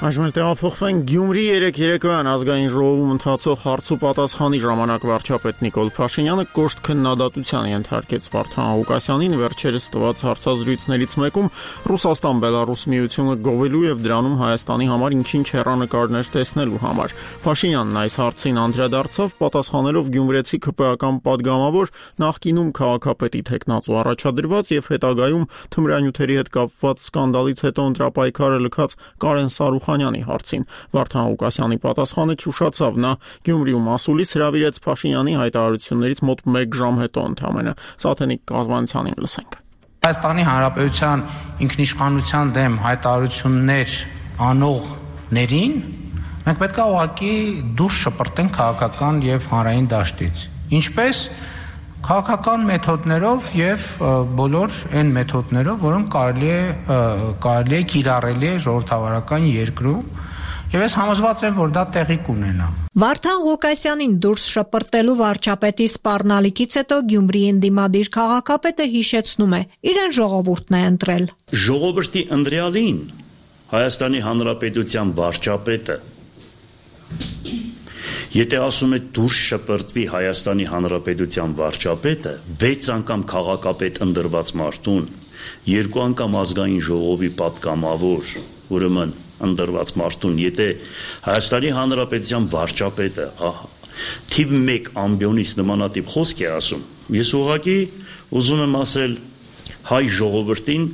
Այժմ էլ տեղափոխվենք Գյումրի երեք երեկոյան ազգային ժողովում ընթացող հարց ու պատասխանի ժամանակ վարչապետ Նիկոլ Փաշինյանը կոշտ քննադատության ենթարկեց Վարդան Ղուկասյանին վերջերս տված հարցազրույցներից մեկում Ռուսաստան-Բելարուս միությունը գովելու եւ դրանում Հայաստանի համար ինչ-ինչ հեռանկարներ տեսնելու համար։ Փաշինյանն այս հարցին անդրադարձավ պատասխանելով գյումրեցի ՔՊ-ական падգամավոր նախկինում քաղաքապետի թեկնածու առաջադրված եւ հետագայում թմրանյութերի հետ կապված սկանդալից հետո ընտրապայքարը լքած Կարեն Սարուխանյանի հարցին։ Վարդան Ղուկասյանի պատասխանը չուշացավ, նա Գյումրիում ասուլիս հրավիրեց Փաշինյանի հայտարարություններից մոտ մեկ ժամ հետո ընդամենը։ Սաթենիկ կազմանությանին լսենք։ Հայաստանի Հանրապետության ինքնիշխանության դեմ հայտարարություններ անողներին մենք պետք է ուղղակի դուրս շպրտենք քաղաքական եւ հանրային դաշտից։ Ինչպես քաղաքական մեթոդներով եւ բոլոր այն մեթոդներով, որոնք կարելի է կարելի է կիրառելի է ժողովրդավարական երկրում, եւ ես համոզված եմ, որ դա տեղի կունենա։ Վարդան Ղուկասյանին դուրս շպրտելու վարչապետի սպառնալիքից հետո Գյումրիի ընդդիմադիր քաղաքապետը հիշեցնում է, իրեն ժողովուրդն է ընտրել։ Ժողովրդի ընտրյալին Հայաստանի Հանրապետության վարչապետը Եթե ասում է դուրս շպրտվի Հայաստանի Հանրապետության վարչապետը, վեց անգամ քաղաքապետ ընտրված մարդուն, երկու անգամ ազգային ժողովի պատգամավոր, ուրեմն ընտրված մարդուն, եթե Հայաստանի Հանրապետության վարչապետը թիվ մեկ ամբիոնից նմանատիպ խոսք է ասում, ես ուղղակի ուզում եմ ասել հայ ժողովրդին,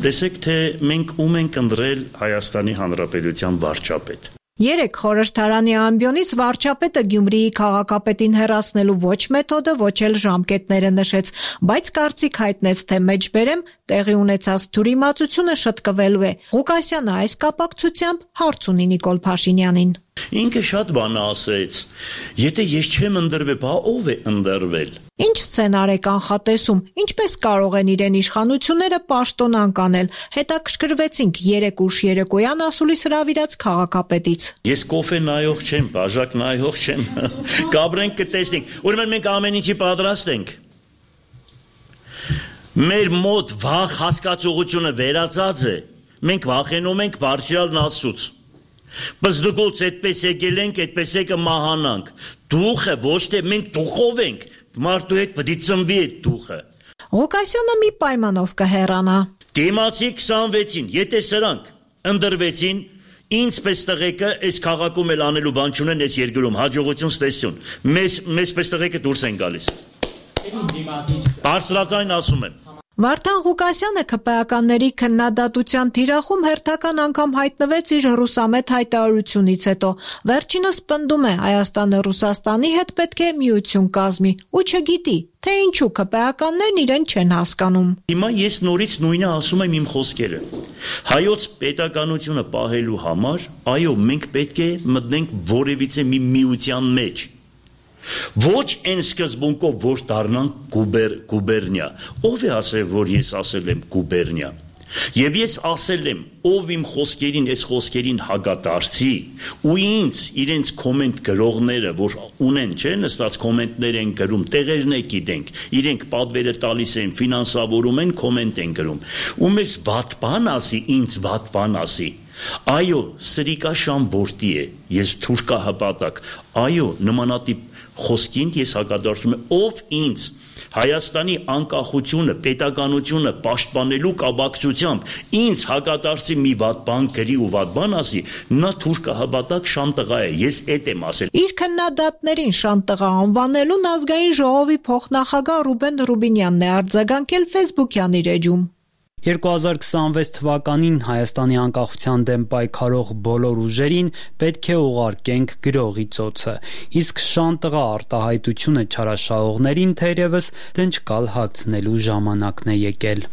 տեսեք թե մենք ում ենք ընտրել Հայաստանի Հանրապետության վարչապետ։ Երեք խորհրդարանի ամբիոնից վարչապետը Գյումրիի քաղաքապետին հեռացնելու ոչ մեթոդը, ոչ էլ ժամկետները նշեց, բայց կարծիք հայտնեց, թե մեջբերեմ տեղի ունեցած թյուրիմացությունը շտկվելու է։ Ղուկասյանը այս կապակցությամբ հարց ունի Նիկոլ Փաշինյանին։ Ինքը շատ բան ասեց, եթե ես չեմ ընտրվել, բա ով է ընտրվել։ Ինչ սցենար է կանխատեսում, ինչպես կարող են իրեն իշխանությունները պաշտոնանկ անել, հետաքրքրվեցինք երեք ուշ երեկոյան ասուլիս հրավիրած քաղաքապետից։ Ես կոֆե նայող չեմ, բաժակ նայող չեմ, կաբրենք կտեսնենք, ուրեմն մենք ամեն ինչի պատրաստ ենք։ Մեր մոտ վաղ հասկացողությունը վերացած է, մենք վախենում ենք բարձրալն Աստծուց։ Բայց դուք այդպես եկել ենք, այդպես է կմահանանք։ Դուխը ոչ թե մենք դուխով ենք, մարդու հետ պետք է ծնվի այդ դուխը։ Ղուկասյանը մի պայմանով կհեռանա։ Դիմացի քսանվեցին, եթե սրանք ընտրվեցին, ինձ պես տղեկը այս քաղաքում էլ անելու բան չունեն այս երկրում, հաջողություն ստեսություն։ Մեզ մեզ պես տղեկը դուրս են գալիս։ Բարձրաձայն ասում եմ։ Վարդան Ղուկասյանը ՔՊ-ականների քննադատության թիրախում հերթական անգամ հայտնվեց իր ռուսամետ հայտարարությունից հետո։ Վերջինս պնդում է Հայաստանը Ռուսաստանի հետ պետք է միություն կազմի ու չգիտի, թե ինչու ՔՊ-ականներն իրեն չեն հասկանում։ Հիմա ես նորից նույնը ասում եմ իմ խոսքերը։ Հայոց պետականությունը պահելու համար, այո, մենք պետք է մտնենք որևիցե մի միության մեջ։ Ոչ այն սկզբունքով, որ դառնանք գուբեր, գուբերնիա։ Ով է ասել, որ ես ասել եմ գուբերնիա։ Եվ ես ասել եմ, ով իմ խոսքերին, այս խոսքերին հագադարձի, ու ինձ իրենց կոմենտ գրողները, որ ունեն, չէ, նստած կոմենտներ են գրում, տեղերն է գիտենք, իրենք պատվերը տալիս են, ֆինանսավորում են, կոմենտ են գրում։ Ու մեզ վատ բան ասի, ինձ վատ բան ասի։ Այո, սրիկա շամ որդի է, ես թուրքա հպատակ, այո, նմանատիպ խոսքին ես հակադարձում եմ, ով ինձ Հայաստանի անկախությունը, պետականությունը պաշտպանելու կապակցությամբ ինձ հակադարձի մի վատ բան գրի ու վատ բան ասի, նա թուրքա հպատակ շան տղա է, ես էդ եմ ասել։ Իր քննադատներին շան տղա անվանելուն ազգային ժողովի փոխնախագահ Ռուբեն Ռուբինյանն է արձագանքել Facebook-յան իր էջում։ երկու հազար քսանվեց թվականին Հայաստանի անկախության դեմ պայքարող բոլոր ուժերին պետք է ուղարկենք գրողի ծոցը, իսկ շանտղա արտահայտությունը չարաշահողներին թերևս դնչկալ հագցնելու ժամանակն է եկել։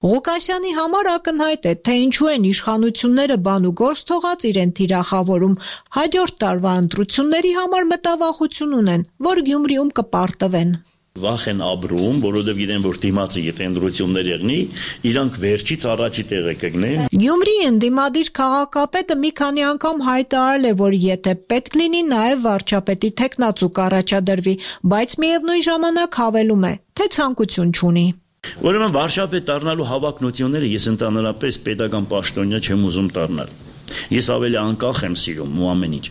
Ղուկասյանի համար ակնհայտ է, թե ինչու են իշխանությունները բան ու գործ թողած իրեն թիրախավորում, հաջորդ տարվա ընտրությունների համար մտավախություն ունեն, որ Գյումրիում կպարտվեն։ Վախ են ապրում, որովհետև գիտեն, որ դիմացի եթե ընտրություններ եղնի, իրանք վերջից առաջի տեղը կգնեն։ Գյումրիի ընդդիմադիր քաղաքապետը մի քանի անգամ հայտարարել է, որ եթե պետք լինի, նաև վարչապետի թեկնածու կառաջադրվի, բայց միևնույն ժամանակ հավելում է, թե ցանկություն չունի։ Ուրեմն վարչապետ դառնալու հավակնությունները ես ընդհանրապես պետական պաշտոնյա չեմ ուզում դառնալ։ Ես ավելի անկախ եմ սիրում ու ամեն ինչ։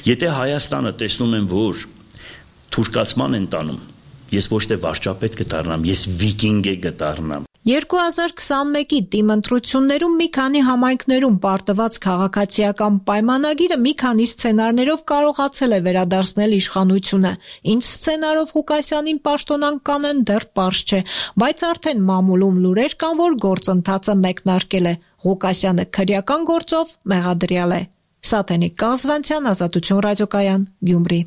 Եթե Հայաստանը տեսնում եմ, որ թուրքացման են տանում, ես ոչ թե վարչապետ կդառնամ, ես վիկինգ է կդառնամ։ երկու հազար քսանմեկի տիմ ընտրություններում մի քանի համայնքներում պարտված քաղաքացիական պայմանագիրը մի քանի սցենարներով կարողացել է վերադարձնել իշխանությունը։ Ինչ սցենարով Ղուկասյանին պաշտոնանկ կանեն դեռ պարզ չէ, բայց արդեն մամուլում լուրեր կան, որ գործընթացը մեկնարկել է։ Ղուկասյանը քրեական գործով մեղադրյալ է։ Սաթենիկ Կազվանցյան, Ազատություն ռադիոկայան, Գյումրի։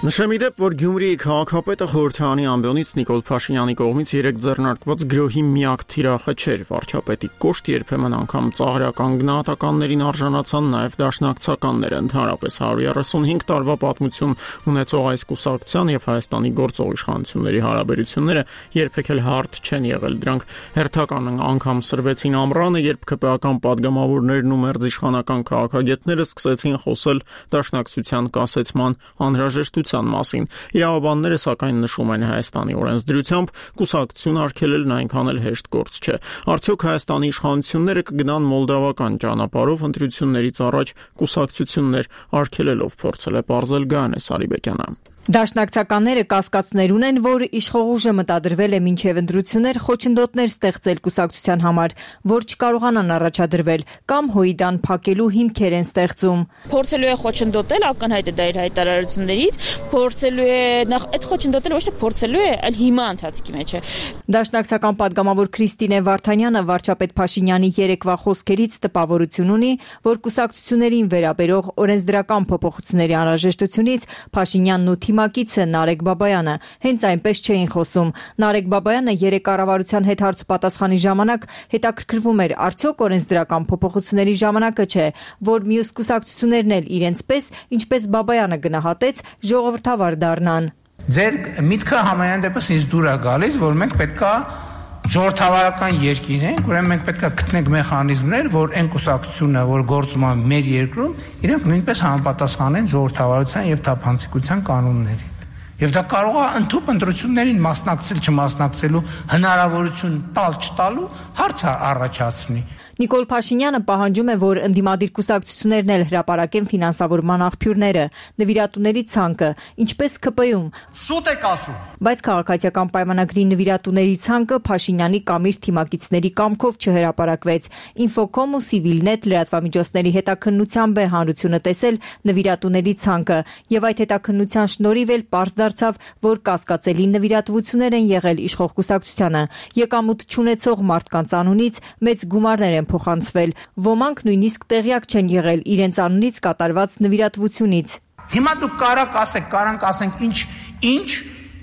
Նշեմ իդեպ, որ Գյումրիի քաղաքապետը խորհրդարանի ամբիոնից Նիկոլ Փաշինյանի կողմից երեք ձեռնարկված գրոհի միակ թիրախը չէր, վարչապետի կոշտ երբեմն անգամ ծաղրական գնահատականներին արժանացան նաև դաշնակցականները, ընդհանրապես հարյուր երեսունհինգ տարվա պատմություն ունեցող այս կուսակցության եւ Հայաստանի գործող իշխանությունների հարաբերությունները երբեք էլ հարթ չեն եղել, դրանք հերթական անգամ սրվեցին ամռանը, երբ ԿՊԱ-ական падգամավորներն ու մերձիշխանական քաղաքագետները սկսեցին խոսել դաշնակցության կասեցման անհրաժեշտության մասին։ Իրավաբանները սակայն նշում են Հայաստանի օրենսդրությամբ կուսակցություն արգելելն այնքան էլ հեշտ գործ չէ։ Արդյոք Հայաստանի իշխանությունները կգնան մոլդավական ճանապարհով ընտրություններից առաջ կուսակցություններ արգելելով, փորձել է պարզել Գայանե Սարիբեկյանը։ Դաշնակցականները կասկածներ ունեն, որ իշխող ուժը մտադրվել է մինչև ընտրություններ խոչընդոտներ ստեղծել կուսակցության համար, որ չկարողանան առաջադրվել կամ հույդան փակելու հիմքեր են ստեղծում։ Փորձելու է խոչընդոտել, ակնհայտ է դա իր հայտարարություններից, փորձելու է նախ այդ խոչընդոտել ոչ թե փորձելու է, այլ հիմա ընթացքի մեջ է։ Դաշնակցական падգամավոր Քրիստինե Վարդանյանը վարչապետ Փաշինյանի երեկվա խոսքերից տպավորություն ունի, որ կուսակցություններին վերաբերող օրենսդրական փոփոխությունների անհրաժեշտությունից Փաշինյանն ու թիմակիցը Նարեկ Բաբայանը հենց այնպես չէին խոսում։ Նարեկ Բաբայանը երեք կառավարության հետ հարցպատասխանի ժամանակ հետաքրքրվում էր, արդյոք օրենսդրական փոփոխությունների ժամանակը չէ, որ մյուս կուսակցություններն էլ իրենց պես, ինչպես Բաբայանը գնահատեց, ժողովրդավար դառնան։ Ձեր միտքը համենայն դեպս ինձ դուր է գալիս, որ մենք պետքա ժողովրդավարական երկիր ենք, ուրեմն մենք պետքա գտնենք մեխանիզմներ, որ այն կուսակցությունը, որ գործում է մեր երկրում, իրենք նույնպես համապատասխանեն ժողովրդավարության եւ թափանցիկության կանոններին։ Եվ դա կարող է ընդհանուր ընտրություններին մասնակցել չմասնակցելու հնարավորություն տալ չտալու հարց առաջացնի։ Նիկոլ Փաշինյանը պահանջում է, որ ընդդիմադիր կուսակցություններն էլ հրապարակեն ֆինանսավորման աղբյուրները, նվիրատուների ցանկը, ինչպես ՔՊ-ում։ Սուտ եք ասում։ Բայց քաղաքացիական պայմանագրի նվիրատուների ցանկը Փաշինյանի կամ իր թիմակիցների կամքով չհրապարակվեց։ Ինֆոկոմ ու Civilnet լրատվամիջոցների հետաքննությամբ է հանրությունը տեսել նվիրատուների ցանկը, եւ այդ հետաքննության շնորհիվ էլ պարզ դարձավ, որ կասկածելի նվիրատվություններ են եղել իշխող կուսակցությանը։ Եկամուտ չունեցող մարդկանց անունից մեծ գումարներ են փոխանցվել։ Ոմանք նույնիսկ տեղյակ չեն եղել իրենց անունից կատարված նվիրատվությունից։ Հիմա դուք կարաք ասեք, կարանք ասենք ինչ ինչ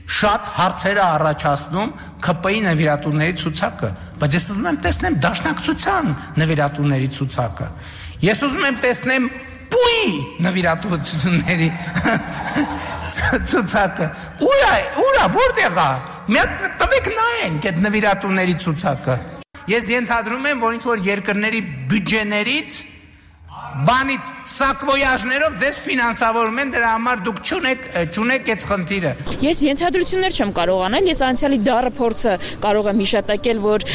շատ հարցեր է առաջացնում ՔՊ-ի նվիրատուների ցուցակը, բայց ես ուզում եմ տեսնեմ դաշնակցության նվիրատուների ցուցակը։ Ես ուզում եմ տեսնեմ Պուի նվիրատվությունների ցուցակը։ Ուրա, ուրա, որտեղ է։ Մենք տվեք նայենք այդ նվիրատուների ցուցակը։ Ես ենթադրում եմ, որ ինչ-որ երկրների բյուջեներից բանից սակվոյաժներով ձեզ ֆինանսավորում են, դրա համար դուք չունեք չունեք այդ խնդիրը։ Ես ենթադրություններ չեմ կարող անել, ես անցյալի դառը փորձը կարող եմ հիշատակել, որ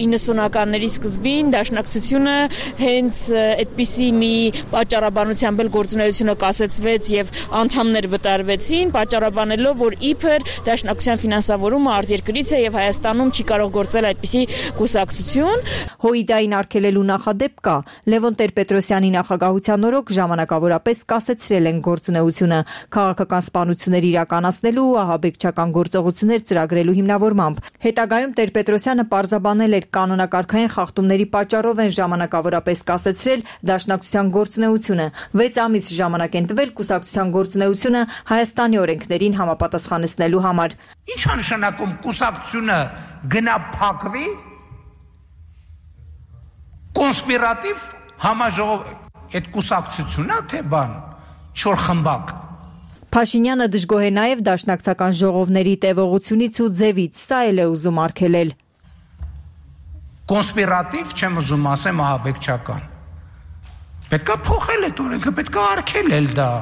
իննսունականների սկզբին դաշնակցությունը հենց այդպիսի մի պատճառաբանությամբ էլ գործունեությունը կասեցվեց եւ անդամներ վտարվեցին, պատճառաբանելով, որ իբր դաշնակցության ֆինանսավորումը արտերկրից է եւ Հայաստանում չի կարող գործել այդպիսի կուսակցություն։ Հույդային արգելելու նախադեպ կա։ Լևոն Տեր-Պետրոսյանը Պետրոսյանի նախագահության օրոք ժամանակավորապես կասեցրել են գործունեությունը քաղաքական սպանություններ իրականացնելու ու ահաբեկչական գործողություններ ծրագրելու հիմնավորմամբ։ Հետագայում Տեր-Պետրոսյանը պարզաբանել էր կանոնակարգային խախտումների պատճառով են ժամանակավորապես կասեցրել Դաշնակցության գործունեությունը։ վեց ամիս ժամանակ են տվել կուսակցության գործունեությունը Հայաստանի օրենքներին համապատասխանեցնելու համար։ Ինչ է նշանակում կուսակցությունը գնա փակվի կոնսպիրատիվ համաժողով այդ կուսակցությունն է թե բան չոր խմբակ։ Փաշինյանը դժգոհ է նաև դաշնակցական ժողովների տևողությունից ու ձևից, սա էլ է ուզում արգելել։ Կոնսպիրատիվ չեմ ուզում ասեմ ահաբեկչական։ Պետք է փոխել այդ օրենքը, պետք է արգելել դա։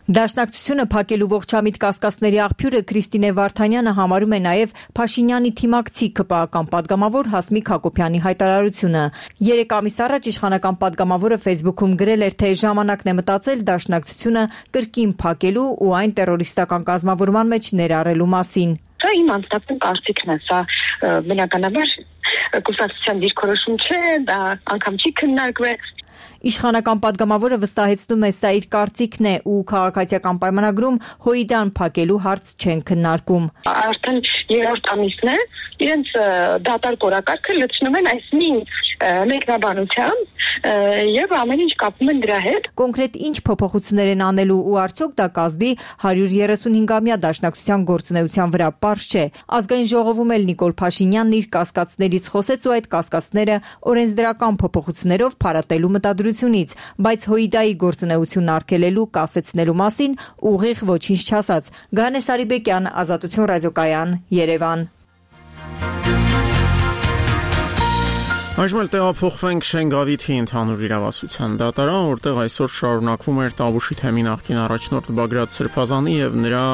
Դաշնակցությունը փակելու ողջամիտ կասկածների աղբյուրը Քրիստինե Վարդանյանը համարում է նաև Փաշինյանի թիմակցի ԿՊԱ-ական պատգամավոր Հասմիկ Հակոբյանի հայտարարությունը։ Երեք ամիս առաջ իշխանական պատգամավորը Facebook-ում գրել էր, թե ժամանակն է մտածել Դաշնակցությունը կրկին փակելու ու այն տերորիստական կազմավորման մեջ ներառելու մասին։ Դա իմ անձնական կարծիքն է, սա բնականաբար կուսակցության դիրքորոշում չէ, դա անգամ չի քննարկվել։ Իշխանական պատգամավորը վստահեցնում է, սա իր կարծիքն է ու քաղաքացիական պայմանագրում Հոիդան փակելու հարց չեն քննարկում։ Արդեն երրորդ ամիսն է, իրենց դատարկ օրակարգը լցնում են այս մի մեկնաբանությամբ եւ ամեն ինչ կապում են դրա հետ։ Կոնկրետ ինչ փոփոխություններ են անելու ու արդյոք դա կազդի հարյուր երեսունհինգամյա Դաշնակցության գործունեության վրա պարզ չէ։ Ազգային ժողովում էլ Նիկոլ Փաշինյանն իր կասկածներից խոսեց ու այդ կասկածները օրենսդրական փոփոխություններով փարատելու մտադրությունից, բայց Հոիդայի գործունեությունն արգելելու կասեցնելու մասին ուղիղ ոչինչ չասաց։ Գանե Սարիբեկյան, Ազատություն ռադիոկայան, Երևան։ Այժմ էլ տեղափոխվենք Շենգավիթի ընդհանուր իրավասության դատարան, որտեղ այսօր շարունակվում էր Տավուշի թեմի նախկին առաջնորդ Բագրատ Սրբազանի եւ նրա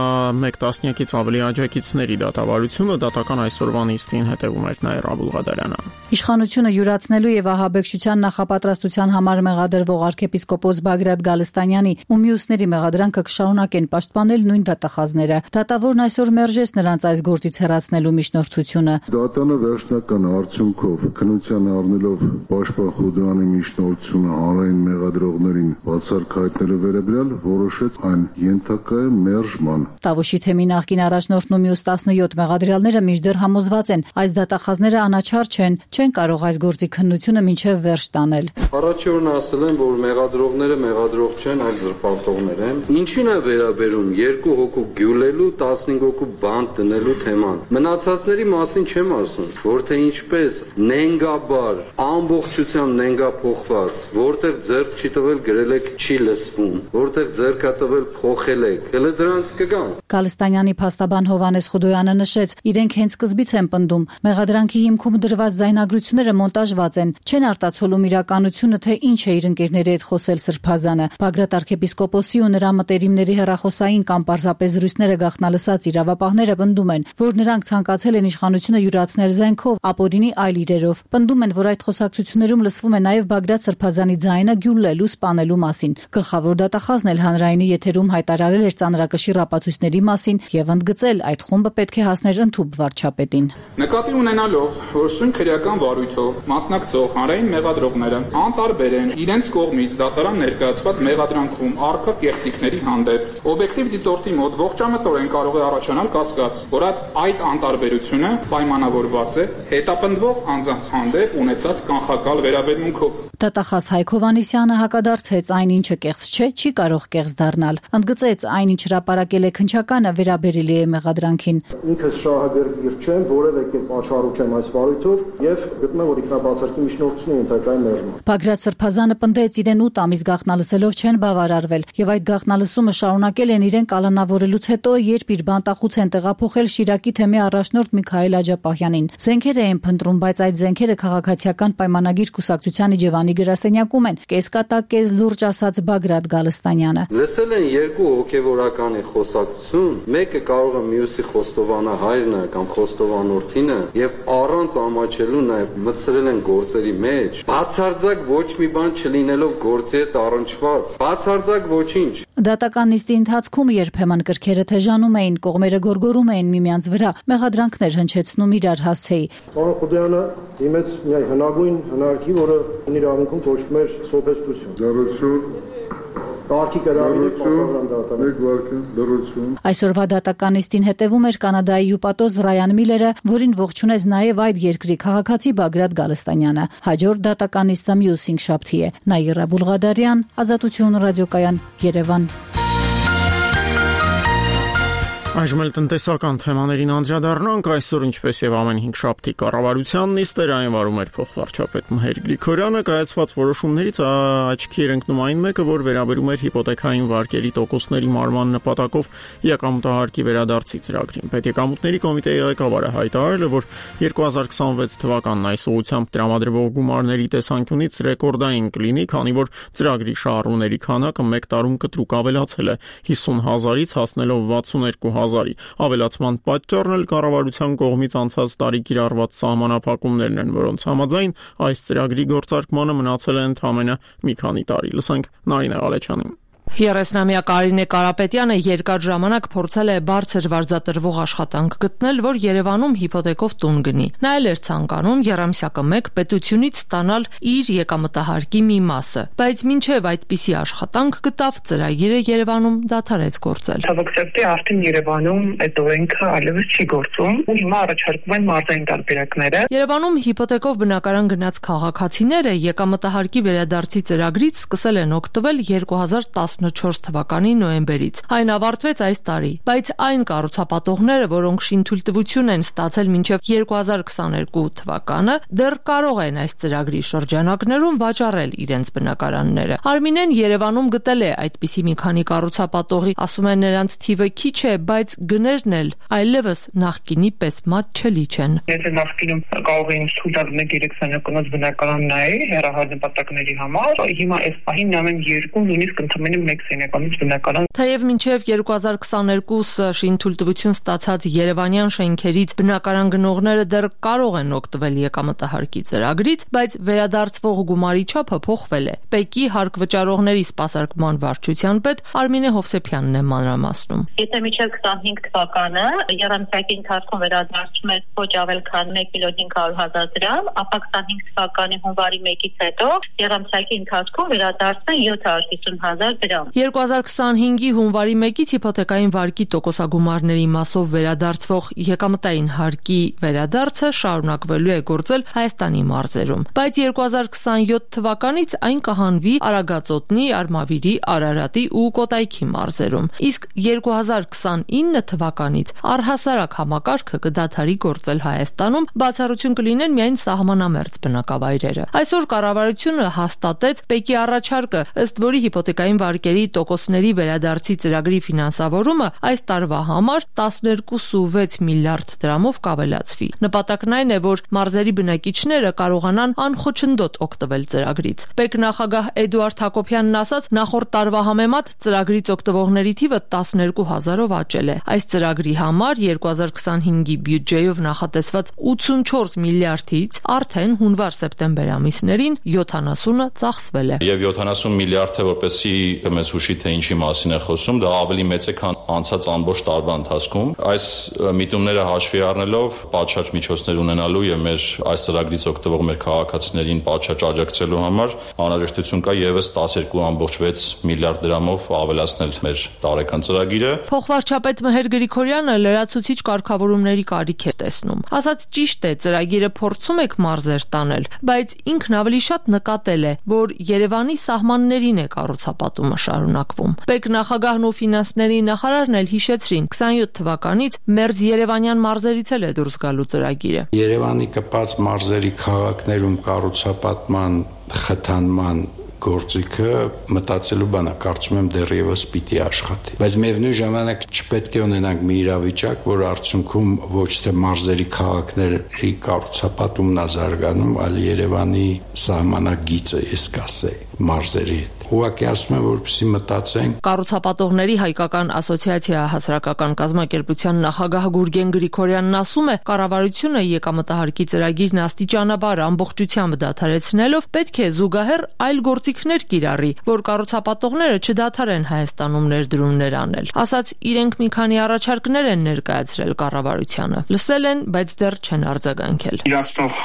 մեկ տասնյակից ավելի աջակիցների դատավարությունը, դատական այսօրվա նիստին հետևում էր Նաիրա Աբուլղադարյանը։ Իշխանությունը յուրացնելու եւ ահաբեկչության նախապատրաստության համար մեղադրվող arczepiskopos Բագրատ Գալստանյանի ու մյուսների մեղադրանքը կշարունակեն պաշտպանել նույն դատախազները։ Դատավորն այսօր մերժեց նրանց այս գործից հեռացնելու միջնորդությունը։ Դատանը վերջնական արդյունքով քննության առնելով Պաշտպան Խուդյանի միջնորդությունը հանրային մեղադրողներին բացառք հայտնելու վերաբերյալ որոշեց այն ենթակա է մերժման։ Տավուշի թեմի նախկին առաջնորդն ու մյուս տասնյոթ մեղադրյալները մինչդեռ համոզված են, այս դատախազները անաչառ չեն, չեն կարող այս գործի քննությունը մինչև վերջ տանել։ Առաջորդն ասել են, որ մեղադրողները մեղադրող չեն, այլ զրպարտողներ են։ Ինչին է վերաբերում երկու հոգու գյուլելու, տասնհինգ հոգու բանտ դնելու թեման։ Մնացածների մասին չեմ ասում, որ թե ինչպես նենգաբար, ամբողջությամբ նենգափոխված, որտեղ ձեռք չի տվել գրել եք չի լսվում, որտեղ ձեռք է տվել փոխել եք, հələ դրանց կգան։ Գալստանյանի փաստաբան Հովանես Խուդոյանը նշեց, իրենք հենց սկզբից են պնդում, մեղադրանքի հիմքում դրված ձայնագրությունները մոնտաժված են, չեն արտացոլում իրականությունը, թե ինչ է իր ընկերների հետ խոսել Սրբազանը։ Բագրատ arczepiskopos-ի ու նրա մտերիմների հեռախոսային կամ պարզապես զրույցները գաղտնալսած իրավապահները պնդում են, որ նրանք ցանկացել են իշխանությունը յուրացնել զենքով, ապօրինի այլ իրերով։ Պնդում են, որ այդ խոսակցություններում լսվում է նաև Բագրատ Սրբազանի ձայնը գյուլելու, սպանելու մասին։ Գլխավոր դատախազն էլ հանրայինի եթերում հայտարարել էր ծանրակշիռ ապացույցների մասին եւ ընդգծել, այդ խումբը պետք է հասներ ընդհուպ վարչապետին։ Նկատի ունենալով, որ սույն քրեական վարույթով մասնակցող հանրային մեղադրողները անտարբեր են իրենց կողմից դատարան ներկայացված մեղադրանքում առկա կեղծիքների հանդեպ, օբյեկտիվ դիտորդի մոտ ողջամտորեն կարող է առաջանալ կասկած, որ այդ անտարբերությունը պայմանավորված է հետապնդվող անձանց հանդեպ ունեցած կանխակալ վերաբերմունքով։ Դատախազ Հայկ Հովհաննիսյանը հակադարձեց, այն ինչը կեղծ չէ, չի կարող կեղծ դառնալ։ Ընդգծեց, այն ինչ հրապարակել է քննչականը վերաբերելի է մեղադրանքին։ Ինքս շահագրգիռ չեմ, որևէ կերպ աչառու չեմ այս վարույթով եւ գտնում եմ, որ ինքնաբացարկի միջնորդությունը ենթակայ մերժում։ Բագրատ Սրբազանը պնդեց, իրեն ութ ամիս գաղտնալսելով չեն բավարարվել եւ այդ գաղտնալսումը շարունակել են իրեն կալանավորելուց հետո, երբ իր բանտախուց են տեղափոխել Շիրակի թեմի առաջնորդ Միքայել Աջապահյանին։ Զենքեր էին փնտրում, բայց այդ զենքերը քաղաքացիական պայմանագիր կուսակցության իջևանի գրասենյակում են, կեսկատակ, կես լուրջ ասաց Բագրատ Գալստանյանը։ Լսել են երկու հոգևորականի խոսակցություն, մեկը կարող է մյուսի խոստովանահայրն է կամ խոստովանորդինը եւ առանց ամաչելու նաեւ մտցրել են գործերի մեջ, բացարձակ ոչ մի բան չլինելով գործի հետ առնչված, բացարձակ ոչինչ։ Դատական նիստի ընթացքում երբեմն կրքերը թեժանում էին, կողմերը գորգորում էին միմյանց վրա, մեղադրանքներ հնչեցնում իրար հասցեի։ Պարոն Խուդյանը իմեց մի հնագույն հնարքի, որը իրավունքում կոչվում էր սոփեստություն։ Դրություն Կարգի կրավիրեք պատասխան դատական։ Այսօրվա դատականիստին հետևում էր Կանադայի հյուպատոս Ռայան Միլերը, որին ողջունեց նաև այդ երկրի քաղաքացի Բագրատ Գալստանյանը։ Հաջորդ դատականիստը մյուս հինգշաբթի է։ Նաիրա Բուլղադարյան, Ազատություն ռադիոկայան, Երևան։ Այժմ էլ տնտեսական թեմաներին անդրադառնանք, այսօր ինչպես եւ ամեն հինգշաբթի կառավարության նիստերային վարում էր փոխվարչապետ Մհեր Գրիգորյանը, կայացված որոշումներից աչքի էր ընկնում այն մեկը, որ վերաբերում էր հիպոթեքային վարկերի տոկոսների մարման նպատակով եկամուտահարկի վերադարձի ծրագրին։ Պետեկամուտների կոմիտեի ղեկավարը հայտարարել է, որ երկու հազար քսանվեց թվականն այս ուղղությամբ տրամադրվող գումարների տեսանկյունից ռեկորդային կլինի, քանի որ ծրագրի շահառուների քանակը մեկ տարում կտրուկ ավելացել է հիսուն հազարից հասնելով վաթսունեքու հազարի։ Ավելացման պատճառն էլ կառավարության կողմից անցած տարի կիրառված սահմանափակումներն են, որոնց համաձայն այս ծրագրի գործարկմանը մնացել է ընդամենը մի քանի տարի։ Լսենք Նարինե Ալեչյանին։ երեսնամյա Կարինե Կարապետյանը երկար ժամանակ փորձել է բարձր վարձատրվող աշխատանք գտնել, որ Երևանում հիպոթեկով տուն գնի։ Նա էլ էր ցանկանում եռամսյակը մեկ պետությունից ստանալ իր եկամտահարկի մի մասը, բայց մինչև այդպիսի աշխատանք գտավ, ծրագիրը Երևանում դադարեց գործել։ Ցավոքսեպտի արդեն Երևանում այդ օրենքը այլևս չի գործում, ու հիմա առաջարկվում են մարզային տարբերակները։ Երևանում հիպոթեկով բնակարան գնաց քաղաքացիները եկամտահարկի վերադարձի ծրագրից սկսել են օգտվել երկու հազար տասնչորս թվականի նոյեմբերից։ Այն ավարտվեց այս տարի, բայց այն կառուցապատողները, որոնք շինթույլտվություն են ստացել մինչև երկու հազար քսաներկու թվականը, դեռ կարող են այս ծրագրի շրջանակներում վաճառել իրենց բնակարանները։ Արմինեն Երևանում գտել է այդպիսի մի քանի կառուցապատողի, ասում են նրանց թիվը քիչ է, բայց գներն էլ այլևս նախկինի պես մատչելի չեն։ Եթե նախկինում կարող էին թույլ տալ մեկ երեք սենյակոնոց բնակարան նայել հեռահար նպատակների համար, հիմա այս պահին նայում երկու, նույնիսկ ընդամենը մեկ սենյականից բնակարան։ Թեև մինչև երկու հազար քսաներկուը շինթույլտվություն ստացած երևանյան շենքերից բնակարան գնողները դեռ կարող են օգտվել եկամտահարկի ծրագրից, բայց վերադարձվող գումարի չափը փոխվել է։ Պեկի հարկ վճարողների սպասարկման վարչության պետ Արմինե Հովսեփյանն է մանրամասնում։ Եթե մինչև քսանհինգ թվականը եռամսյակի ընթացքում վերադարձում էր ոչ ավել քան մեկ միլիոն հինգ հարյուր հազար դրամ, ապա քսանհինգ թվականի հունվարի մեկից հետո եռամսյակի ընթացքում վերադարձն է յոթ հարյուր հիսուն հազար դրամ։ երկու հազար քսանհինգի հունվարի մեկից հիպոթեկային վարկի տոկոսագումարների մասով վերադարձվող եկամտային հարկի վերադարձը շարունակվելու է գործել Հայաստանի մարզերում, բայց երկու հազար քսանյոթ թվականից այն կհանվի Արագածոտնի, Արմավիրի, Արարատի ու Կոտայքի մարզերում, իսկ երկու հազար քսանինը թվականից առհասարակ համակարգը կդադարի գործել Հայաստանում, բացառություն կլինեն միայն սահմանամերձ բնակավայրերը։ Այսօր կառավարությունը հաստատեց Պեկի առաջարկը, ըստ որի հիպոթեկային վարկերի տոկոսների վերադարձի ծրագրի ֆինանսավորումը այս տարվա համար տասներկու կoma վեց միլիարդ դրամով կավելացվի։ Նպատակն այն է, որ մարզերի բնակիչները կարողանան անխոչնդոտ օգտվել ծրագրից։ Պեկ նախագահ Էդուարդ Հակոբյանն ասաց, նախորդ տարվա համեմատ ծրագրից օգտվողների թիվը տասներկու հազարով աճել է։ Այս ծրագրի համար երկու հազար քսանհինգի բյուջեով նախատեսված ութսունչորս միլիարդից արդեն հունվար-սեպտեմբեր ամիսներին յոթանասունը ծախսվել է։ Եվ յոթանասուն միլիարդը, որպեսզի մեզ հուշի թե ինչի մասին է խոսում, դա ավելի մեծ է, քան անցած ամբողջ տարվա ընթացքում։ Այս միտումները հաշվի առնելով, պատշաճ միջոցներ ունենալու եւ մեր այս ծրագրից օգտվող մեր քաղաքացիներին պատշաճ աջակցելու համար անհրաժեշտություն կա եւս տասներկու կoma վեց միլիարդ դրամով ավելացնել մեր տարեկան ծրագիրը։ Փոխվարչապետ Մհեր Գրիգորյանը լրացուցիչ կարգավորումների կարիք է տեսնում։ Ասած ճիշտ է, ծրագիրը փորձում եք մարզեր տանել, բայց ինքն ավելի շատ նկատել է, որ Երևանի սահմաններին է կառուցապատումը շարունակվում։ Պեկ նախագահն ու ֆինանսների նախարարն էլ հիշեցրին, քսանյոթ թվականից մերձ երևանյան մարզերից էլ է դուրս գալու ծրագիրը։ Երևանի կպած մարզերի քաղաքներում կառուցապատման խթանման գործիքը մտածելու բան է, կարծում եմ դեռևս պիտի աշխատի։ Բայց միևնույն ժամանակ չպետք է ունենանք մի իրավիճակ, որ արդյունքում ոչ թե մարզերի քաղաքների կառուցապատումն է զարգանում, այլ Երևանի սահմանագիծը, ես կասեի, մարզերի հետ։ Ուղղակի ասում եմ, որպեսզի մտածենք։ Կառուցապատողների հայկական ասոցիացիա հասարակական կազմակերպության նախագահ Գուրգեն Գրիգորյանն ասում է, կառավարությունը եկամտահարկի ծրագիրն աստիճանաբար ամբողջությամբ դադարեցնելով պետք է զուգահեռ այլ գործիքներ կիրառի, որ կառուցապատողները չդադարեն Հայաստանում ներդրումներ անել։ Ասաց, իրենք մի քանի առաջարկներ են ներկայացրել կառավարությանը։ Լսել են, բայց դեռ չեն արձագանքել։ Իրացնող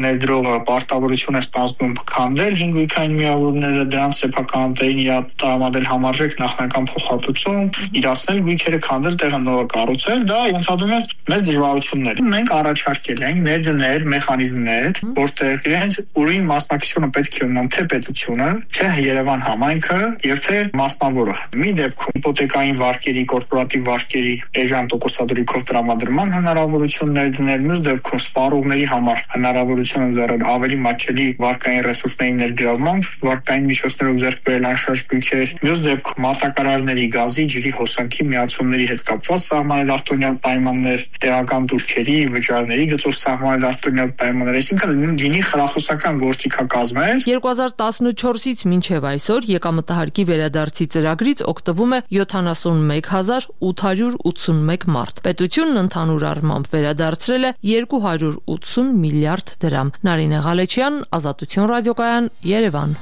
ներդրողը պարտավորություն է ստանձնում քանդել հինգույքային միավորները, դրանց սեփականատերին իրա տրամադրել համարժեք նախնական փոխհատուցում, իրացնել գույքերը, քանդել, տեղը նորը կառուցել, դա ենթադրում է մեծ դժվարություններ։ Մենք առաջարկել ենք ներդնել մեխանիզմներ, որտեղ իրենց ուրին մասնակցությունը պետք է ունենան թե պետությունը, թե Երևան համայնքը եւ թե մասնավորը։ Մի դեպքում հիպոթեկային վարկերի, կորպորատիվ վարկերի էժան տոկոսադրույքով տրամադրման հնարավորություններ դնել, մյուս դեպքում սպառողների համար հնարավորություն ընձեռել ավելի մատչելի վարկային ռեսուրսների ներգրավմամբ, վարկային միջոցներով ձեռք բերել անշարժ գույքեր, մյուս դեպքում մարտակարարների, գազի, ջրի, հոսանքի միացումների հետ կապված սահմանել արտոնյալ պայմաններ, տեղական դուրքերի, վճարների գծով սահմանել արտոնյալ պայմաններ, այսինքն գինի խրախուսական գործիքակազմեր։ երկու հազար տասնչորսից մինչև այսօր եկամտահարկի վերադարձի ծրագրից օգտվում է յոթանասունմեկ հազար ութ հարյուր ութսունմեկ մարդ։ Պետությունն ընդհանուր առմամբ վերադարձրել է երկու հարյուր ութսուն միլիարդ դրամ։ Նարինե Ղալեչյան, Ազատություն ռադիոկայան, Երևան։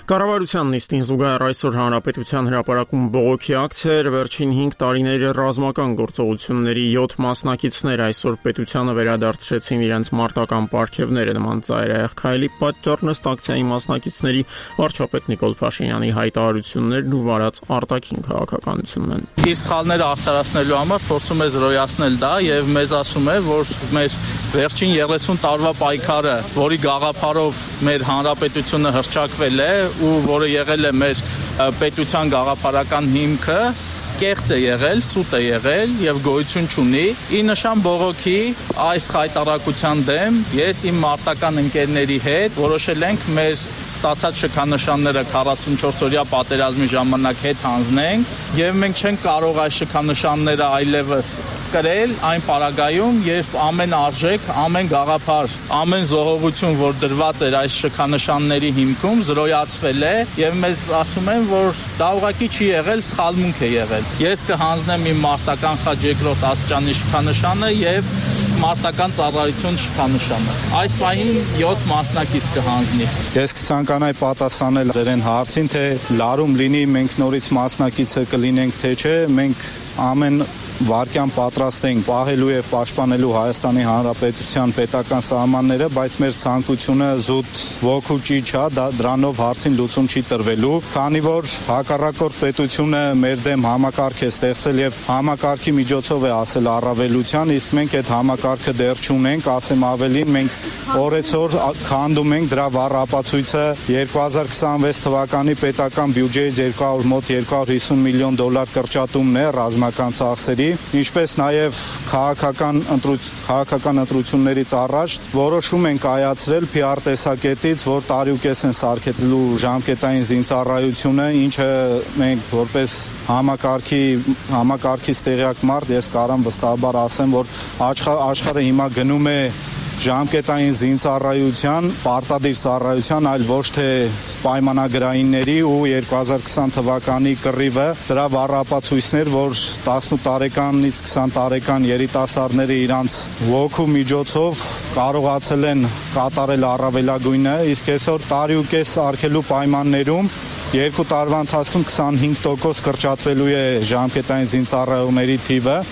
Կառավարության նիստին զուգահեռ այսօր Հանրապետության հրապարակում բողոքի ակցիա վերջին հինգ տարիների ռազմական գործողությունների յոթ մասնակիցներ այսօր պետությանը վերադարձրեցին իրենց մարտական պարգևները նման ծայրահեղ քայլի պատճառն ըստ ակցիայի մասնակիցների վարչապետ Նիկոլ Փաշինյանի հայտարարություններն ու վարած արտաքին քաղաքականությունն են։ Իր սխալները արդարացնելու համար փորձում է զրոյացնել դա եւ մեզ ասում է, որ մեր վերջին երեսուն տարվա պայքարը, որի գաղափարով մեր հանրապետությունը հռչակվել է ու որը եղել է մեր պետության գաղափարական հիմքը, կեղծ է եղել, սուտ է եղել եւ գոյություն չունի։ Ի նշան բողոքի այս հայտարարության դեմ ես իմ մարտական ընկերների հետ որոշել ենք մեր ստացած շքանշանները քառասունչորս-օրյա պատերազմի ժամանակ հետ հանձնենք եւ մենք չենք կարող այս շքանշանները այլևս կրել այն պարագայում, երբ ամեն արժեք, ամեն գաղափար, ամեն զոհողություն, որ դրված էր այս շքանշանների հիմքում, զրոյացվել է եւ մեզ ասում են, որ դա ուղղակի չի եղել, սխալմունք է եղել։ Ես կհանձնեմ իմ մարտական խաչ երկրորդ աստիճանի շքանշանը եւ մարտական ծառայություն շքանշանը։ Այս պահին յոթ մասնակից կհանձնի։ Ես կցանկանայի պատասխանել ձերեն հարցին, թե լարում լինի մենք նորից մասնակիցը կլինենք, թե չէ, մենք ամեն վարկյան պատրաստ ենք պահելու եւ պաշտպանելու Հայաստանի Հանրապետության պետական սահմանները, բայց մեր ցանկությունը զուտ ոգու ճիչ է, դրանով հարցին լուծում չի տրվելու, քանի որ հակառակորդ պետությունը մեր դեմ համակարգ է ստեղծել եւ համակարգի միջոցով է ասել առավելության, իսկ մենք այդ համակարգը դեռ չունենք, ասեմ ավելին, մենք օրեցօր քանդում ենք դրա վառ ապացույցը երկու հազար քսանվեց թվականի պետական բյուջեից երկու հարյուր մոտ երկու հարյուր հիսուն միլիոն դոլար կրճատումն է ռազմական ծախսերի, ինչպես նաև քաղաքական քաղաքական ընտրություններից առաջ որոշում են կայացրել Փի Ար տեսակետից, որ տարիուկես են սարքելու ժամկետային զինծառայությունը, ինչը մենք որպես համակարգի համակարգից տեղյակ մարդ ես կարամ վստահաբար ասեմ, որ աշխարհը հիմա գնում է ժամկետային զինծառայության, պարտադիր ծառայության, այլ ոչ թե պայմանագրայինների ու երկու հազար քսան թվականի կռիվը դրա վառապացույցներ, որ տասնութ տարեկանից քսան տարեկան երիտասարդները իրանց ոգու միջոցով կարողացել են կատարել առավելագույնը, իսկ այսօր տարի ու կես արգելու պայմաններում երկու տարվա ընթացքում քսանհինգ տոկոս կրճատվելու է ժամկետային զինծառայողների թիվը։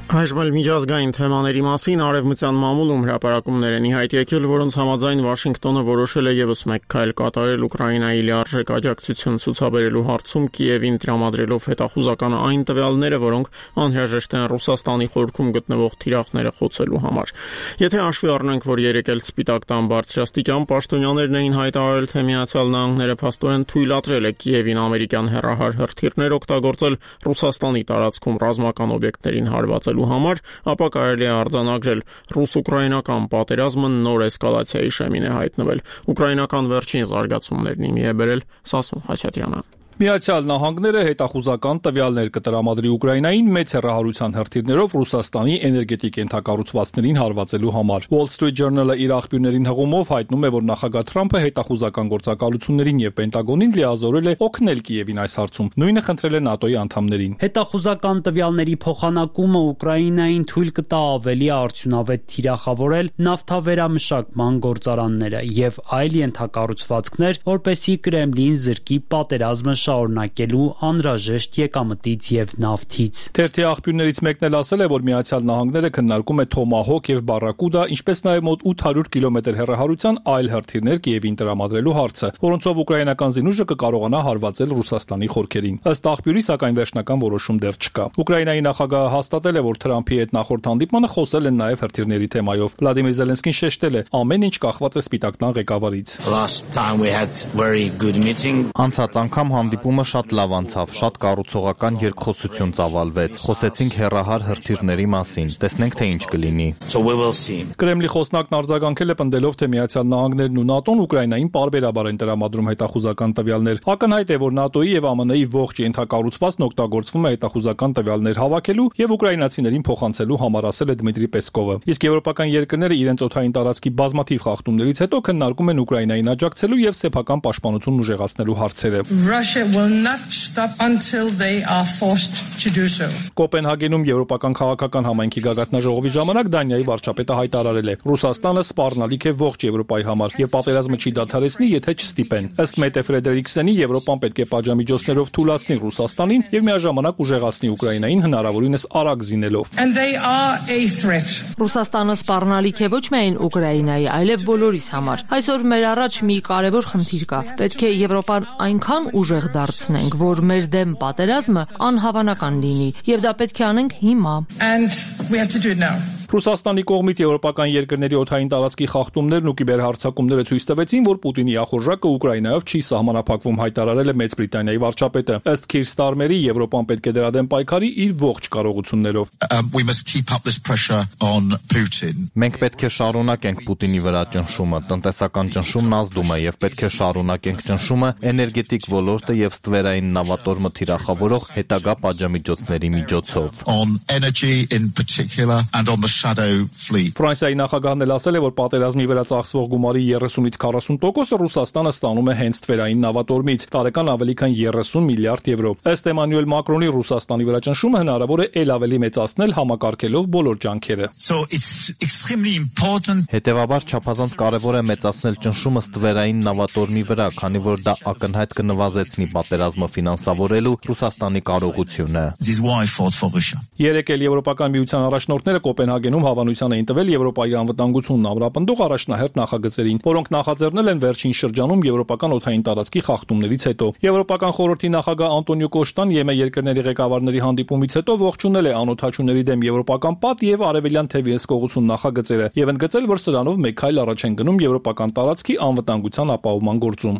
Այժմ միջազգային թեմաների մասին արևմտյան մամուլում հրապարակումներ են ի հայտ եկել, որոնց համաձայն Վաշինգտոնը որոշել է ևս մեկ քայլ կատարել Ուկրաինայի լիարժեք աջակցություն ցուցաբերելու հարցում Կիևին տրամադրելով հետախուզական այն տվյալները, որոնք անհրաժեշտ են Ռուսաստանի խորքում գտնվող թիրախները խոցելու համար։ Եթե հաշվի առնենք, որ երեկ էլ Սպիտակ տան բարձրաստիճան պաշտոնյաներն էին հայտարարել, թե Միացյալ Նահանգները փաստորեն թույլատրել է Կիևին ամերիկյան հեռահար հրթիռներ օգտագործել Ռուսաստանի տարածքում ռազմական օբյեկտներին հարվածել համար, ապա կարելի է արձանագրել ռուս-ուկրաինական պատերազմը նոր էսկալացիայի շեմին է հայտնվել։ Ուկրաինական վերջին զարգացումներն իմի է բերել Սասուն Խաչատրյանը։ Միացյալ Նահանգները հետախուզական տվյալներ կտրամադրի Ուկրաինային մեծ հեռահարության հրթիռներով Ռուսաստանի էներգետիկ ենթակառուցվածքներին հարվածելու համար։ Wall Street Journal-ը իր աղբյուրներին հղումով հայտնում է, որ նախագահ Թրամփը հետախուզական գործակալություններին եւ Պենտագոնին լիազորել է օգնել Կիևին այս հարցում։ Նույնը խնդրել է ՆԱՏՕ-ի անդամներին։ Հետախուզական տվյալների փոխանակումը Ուկրաինային թույլ կտա ավելի արդյունավետ թիրախավորել նավթավերամշակման գործարանները եւ այլ ենթակառուցվածքներ, որպեսզի Կրեմլին զրկի պատերազմը շարունակելու անհրաժեշտ եկամտից եւ նավթից։ Թերթի աղբյուրներից մեկն էլ ասել է, որ Միացյալ Նահանգները քննարկում է Թոմահոկ եւ Բարրակուդա, ինչպես նաեւ մոտ ութ հարյուր կիլոմետր հեռահարության այլ հրթիռներ Կիևին տրամադրելու հարցը, որոնցով ուկրաինական զինուժը կկարողանա հարվածել Ռուսաստանի խորքերին։ Ըստ աղբյուրի, սակայն վերջնական որոշում դեռ չկա։ Ուկրաինայի նախագահը հաստատել է, որ Թրամփի հետ նախորդ հանդիպմանը խոսել են նաեւ հրթիռների թեմայով։ Վլադիմիր Զելենսկին շեշտել է, ամեն ինչ կախված է Սպիտակ տան ղեկավարից։ Անցած անգամ հանդիպումը շատ լավ անցավ, շատ կառուցողական երկխոսություն ծավալվեց։ Խոսեցինք հեռահար հրթիռների մասին։ Տեսնենք, թե ինչ կլինի։ Կրեմլի խոսնակն արձագանքել է պնդելով, թե Միացյալ Նահանգներն ու ՆԱՏՕ-ն Ուկրաինային պարբերաբար են տրամադրում հետախուզական տվյալներ։ Ակնհայտ է, որ ՆԱՏՕ-ի եւ ԱՄՆ-ի ողջ ենթակառուցվածքն օգտագործվում է հետախուզական տվյալներ հավաքելու եւ ուկրաինացիներին փոխանցելու համար, ասել է Դմիտրի Պեսկովը։ Իսկ եվրոպական երկրները իրենց օդային տարածքի բազմաթիվ խախտումներից հետո քննարկում են Ուկրաինային աջակցելու եւ սեփական պաշտպանությունն ուժեղացնելու հարցերը։ Կոպենհագենում եվրոպական քաղաքական համայնքի գագաթնաժողովի ժամանակ Դանիայի վարչապետը հայտարարել է. Ռուսաստանը սպառնալիք է ողջ Եվրոպայի համար եւ պատերազմը չի դադարեցնի, եթե չստիպեն։ Ըստ Մետե Ֆրեդերիկսենի, Եվրոպան պետք է պատժամիջոցներով թույլատնի Ռուսաստանին եւ միաժամանակ ուժեղացնի Ուկրաինային հնարավորինս արագ զինելով։ Ռուսաստանը սպառնալիք է ոչ միայն Ուկրաինայի, այլև բոլորիս համար։ Այսօր մեր առաջ մի կարևոր խնդիր կա։ Պետք է Եվրոպան այնքան ուժեղ դարձնենք, որ մեր դեմ պատերազմը անհավանական լինի, եւ դա պետք է անենք հիմա։ Ռուսաստանի կողմից եվրոպական երկրների օդային տարածքի խախտումներն ու կիբերհարձակումները ցույց տվեցին, որ Պուտինի ախորժակը Ուկրաինայով չի սահմանափակվում, հայտարարել է Մեծ Բրիտանիայի վարչապետը։ Ըստ Քիր Ստարմերի, Եվրոպան պետք է դրա դեմ պայքարի իր ողջ կարողություններով։ Մենք պետք է շարունակենք Պուտինի վրա ճնշումը, տնտեսական ճնշումն ազդում է եւ պետք է շարունակենք ճնշումը էներգետիկ ոլորտը եւ ստվերային նավատորմը թիրախավորող հետագա պատժամիջոցների միջոցով։ Ֆրանսիայի նախագահն էլ ասել է, որ պատերազմի վրա ծախսվող գումարի երեսունից քառասուն տոկոսը Ռուսաստանը ստանում է հենց ստվերային նավատորմից, տարեկան ավելի քան երեսուն միլիարդ եվրո։ Ըստ Էմանուել Մակրոնի, Ռուսաստանի վրա ճնշումը հնարավոր է ել ավելի մեծացնել համակարգելով բոլոր ջանքերը։ Հետևաբար չափազանց կարևոր է մեծացնել ճնշումը ստվերային նավատորմի վրա, քանի որ դա ակնհայտ կնվազեցնի պատերազմը ֆինանսավորելու Ռուսաստանի կարողությունը։ Երեկ էլ Եվրոպական միության առաջնորդները Կոպենհագենում հավանության էին տվել Եվրոպայի անվտանգությունն ամրապնդող առաջնահերթ նախագծերին, որոնք նախաձեռնել են վերջին շրջանում եվրոպական օդային տարածքի խախտումներից հետո։ Եվրոպական խորհրդի նախագահ Անտոնիո Կոշտան ԵՄ երկրների ղեկավարների հանդիպումից հետո ողջունել է անօդաչուների դեմ եվրոպական պատ եւ արևելյան թևի հսկողություն նախագծերը եւ ընդգծել, որ սրանով մեկ քայլ առաջ են գնում եվրոպական տարածքի անվտանգության ապահովման գործում։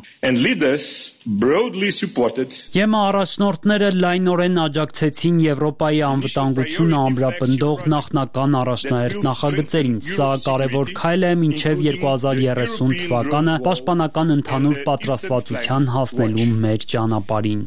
ԵՄ առաջնորդները լայնորեն աջակցեցին Եվրոպայի անվտանգությունը ամրապնդող նախնական առաջնահերթ նախագծերին։ Սա կարևոր քայլ է մինչև երկու հազար երեսուն թվականը պաշտպանական ընդհանուր պատրաստվածության հասնելու մեր ճանապարհին։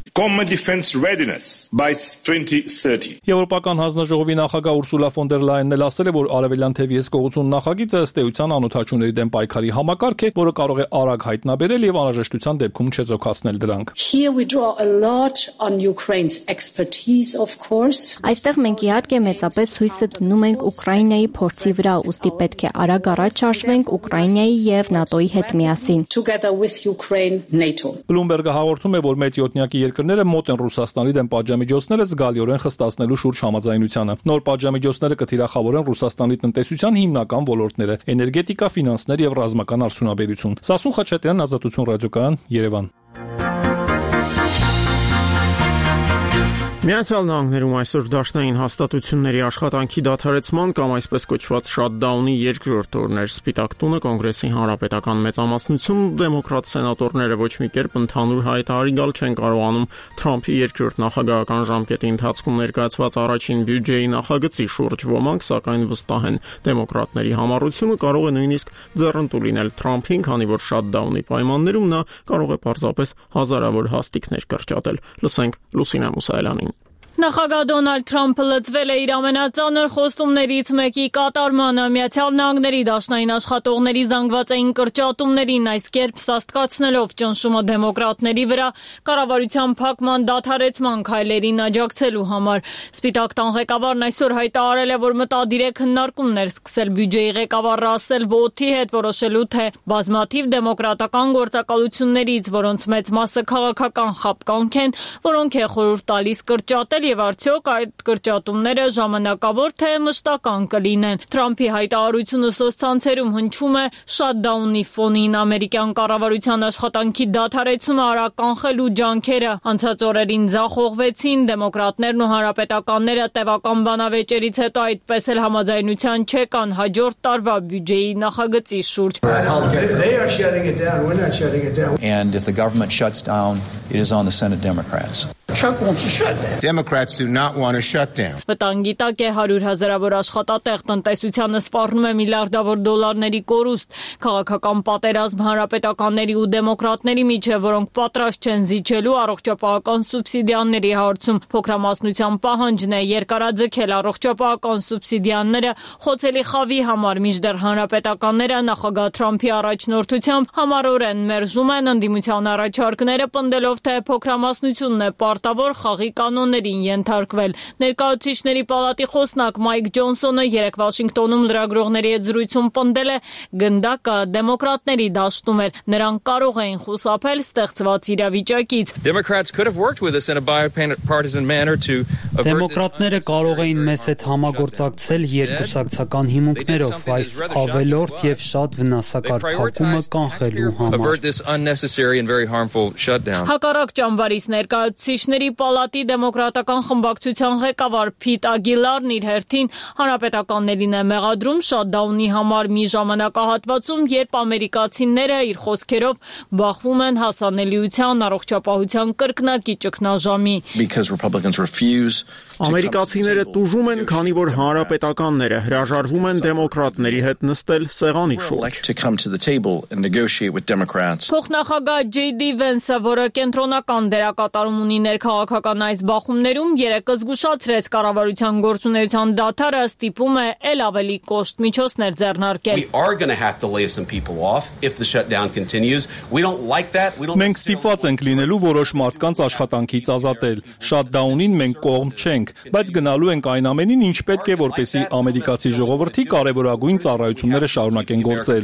Եվրոպական հանձնաժողովի նախագահ Ուրսուլա ֆոն դեր Լայենն էլ ասել է, որ արևելյան թևի հսկողություն նախագիծը ըստ էության անօդաչուների դեմ պայքարի համակարգ է, որը կարող է արագ հայտնաբերել եւ անհրաժեշտության դեպքում չեզոքացնել դրանք։ Այստեղ մենք իհարկե մեծապես հույսը դնում ենք Ուկրաինայի փորձի վրա, ուստի պետք է արագ առաջ շարժվենք Ուկրաինայի եւ ՆԱՏՕ-ի հետ միասին։ Բլումբերգը հաղորդում է, որ մեծ յոթնյակի երկրները մոտ են Ռուսաստանի դեմ պատժամիջոցները զգալիորեն խստացնելու շուրջ համաձայնությանը։ Նոր պատժամիջոցները կթիրախավորեն Ռուսաստանի տնտեսության հիմնական ոլորտները՝ էներգետիկա, ֆինանսներ եւ ռազմական արդյունաբերություն։ Սասուն Խաչատրյան, Ազատություն ռադիոկայան, Երևան։ Միացյալ Նահանգներում այսօր դաշնային հաստատությունների աշխատանքի դադարեցման կամ այսպես կոչված շաթդաունի երկրորդ օրն էր։ Սպիտակ տունը, Կոնգրեսի հանրապետական մեծամասնությունն ու դեմոկրատ սենատորները ոչ մի կերպ ընդհանուր հայտարարի գալ չեն կարողանում Թրամփի երկրորդ նախագահական ժամկետի ընթացքում ներկայացված առաջին բյուջեի նախագծի շուրջ։ Ոմանք սակայն վստահ են, դեմոկրատների համառությունը կարող է նույնիսկ ձեռնտու լինել Թրամփին, քանի որ շաթդաունի պայմաններում նա կարող է պարզապես հազարավոր հաստիկներ կրճատել։ Լսենք Լուսինե Մուսայելյանին։ Նախագահ Դոնալդ Թրամփը լծվել է իր ամենածանր խոստումներից մեկի կատարմանը Միացյալ Նահանգների դաշնային աշխատողների զանգվածային կրճատումներին այս կերպ սաստկացնելով ճնշումը դեմոկրատների վրա կառավարության փակման դադարեցման քայլերին աջակցելու համար։ Սպիտակ տան ղեկավարն այսօր հայտարարել է, որ մտադիր է քննարկումներ սկսել բյուջեի ղեկավար Ռասել Վոթի հետ որոշելու թե բազմաթիվ դեմոկրատական գործակալություններից, որոնց մեծ մասը քաղաքական խապկանք են, որոնք է խորհուրդ տալիս կրճատել եւ արդյոք այդ կրճատումները ժամանակավոր թե մշտական կլինեն։ Թրամփի հայտարարությունը սոցցանցերում հնչում է շատդաունի ֆոնին ամերիկյան կառավարության աշխատանքի դադարեցումը արագ կանխելու ջանքերը անցած օրերին ձախողվեցին, դեմոկրատներն ու հանրապետականները տևական բանավեճերից հետո այդպես էլ համաձայնության չեկան հաջորդ տարվա բյուջեի նախագծի շուրջ։ And if the government shuts down, it is on the Senate Democrats. Democrats do not want to shut down. Վտանգի տակ է հարյուր հազարավոր աշխատատեղ, տնտեսությանը սպառնում է միլիարդավոր դոլարների կորուստ, քաղաքական պատերազմ հանրապետականների ու դեմոկրատների միջև, որոնք պատրաստ չեն զիջելու առողջապահական սուբսիդիաների հարցում։ Փոքրամասնության պահանջն է երկարաձգել առողջապահական սուբսիդիաները խոցելի խավի համար, մինչդեռ հանրապետականները նախագահ Թրամփի առաջնորդությամբ համառորեն մերժում են ընդդիմության առաջարկները, պնդելով, թե փոքրամասնությունն է պարտավոր խաղի կանոններին ենթարկվել։ Ներկայացուցիչների պալատի խոսնակ Մայք Ջոնսոնը երեկ Վաշինգտոնում լրագրողների հետ զրույցում պնդել է, գնդակը դեմոկրատների դաշտում էր, նրանք կարող էին խուսափել ստեղծված իրավիճակից։ Դեմոկրատները կարող էին մեզ հետ համագործակցել երկուսակցական հիմունքներով, այս ավելորդ եւ շատ վնասակար փակումը կանխելու համար։ Հակառակ ճամբարից ներկայացուցիչների պալատի դեմոկրատական խմբակցության ղեկավար Փիտ Ագիլարն իր հերթին հանրապետականներին է մեղադրում շատդաունի համար մի ժամանակահատվածում, երբ ամերիկացիները իր խոսքերով բախվում են հասանելիության, առողջապահության կրկնակի ճգնաժամի։ Ամերիկացիները տուժում են, քանի որ հանրապետականները հրաժարվում են դեմոկրատների հետ նստել սեղանի շուրջ։ Փոխնախագահ Ջեյ Դի Վենսը, որը կենտրոնական դերակատարում ունի ներքաղաքական այս բախումներում, երեկ զգուշացրեց կառավարության գործունեության դադարը, ստիպում է ել ավելի կոշտ միջոցներ ձեռնարկել։ Մենք ստիպված ենք լինելու որոշ մարդկանց աշխատանքից ազատել։ Շատդաունին մենք կողմ չենք, բայց գնալու ենք այն ամենին, ինչ պետք է, որպեսզի ամերիկացի ժողովրդի կարևորագույն ծառայությունները շարունակեն գործել։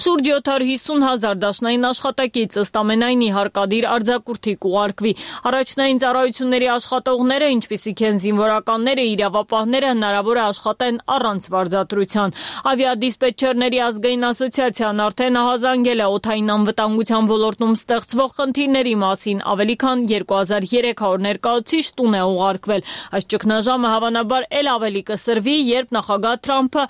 Շուրջ յոթ հիսուն հազար դաշնային աշխատակից ըստ ամենայնի հարկադիր արձակուրդի կուղարկվի։ Առաջնային ծառայությունների աշխատողները, ինչպիսիք են զինվորականները, իրավապահները, հնարավոր է աշխատեն առանց վարձատրության։ Ավիադիսպետչերների ազգային ասոցիացիան արդեն ահազանգել է օդային անվտանգության ոլորտում ստեղծվող խնդիրների մասին, ավելի քան երկու հազար երեք հարյուր ներկայացուցիչ տուն է ուղարկվել։ Այս ճգնաժամը հավանաբար ել ավելի կսրվի, երբ նախագահ Թրամփը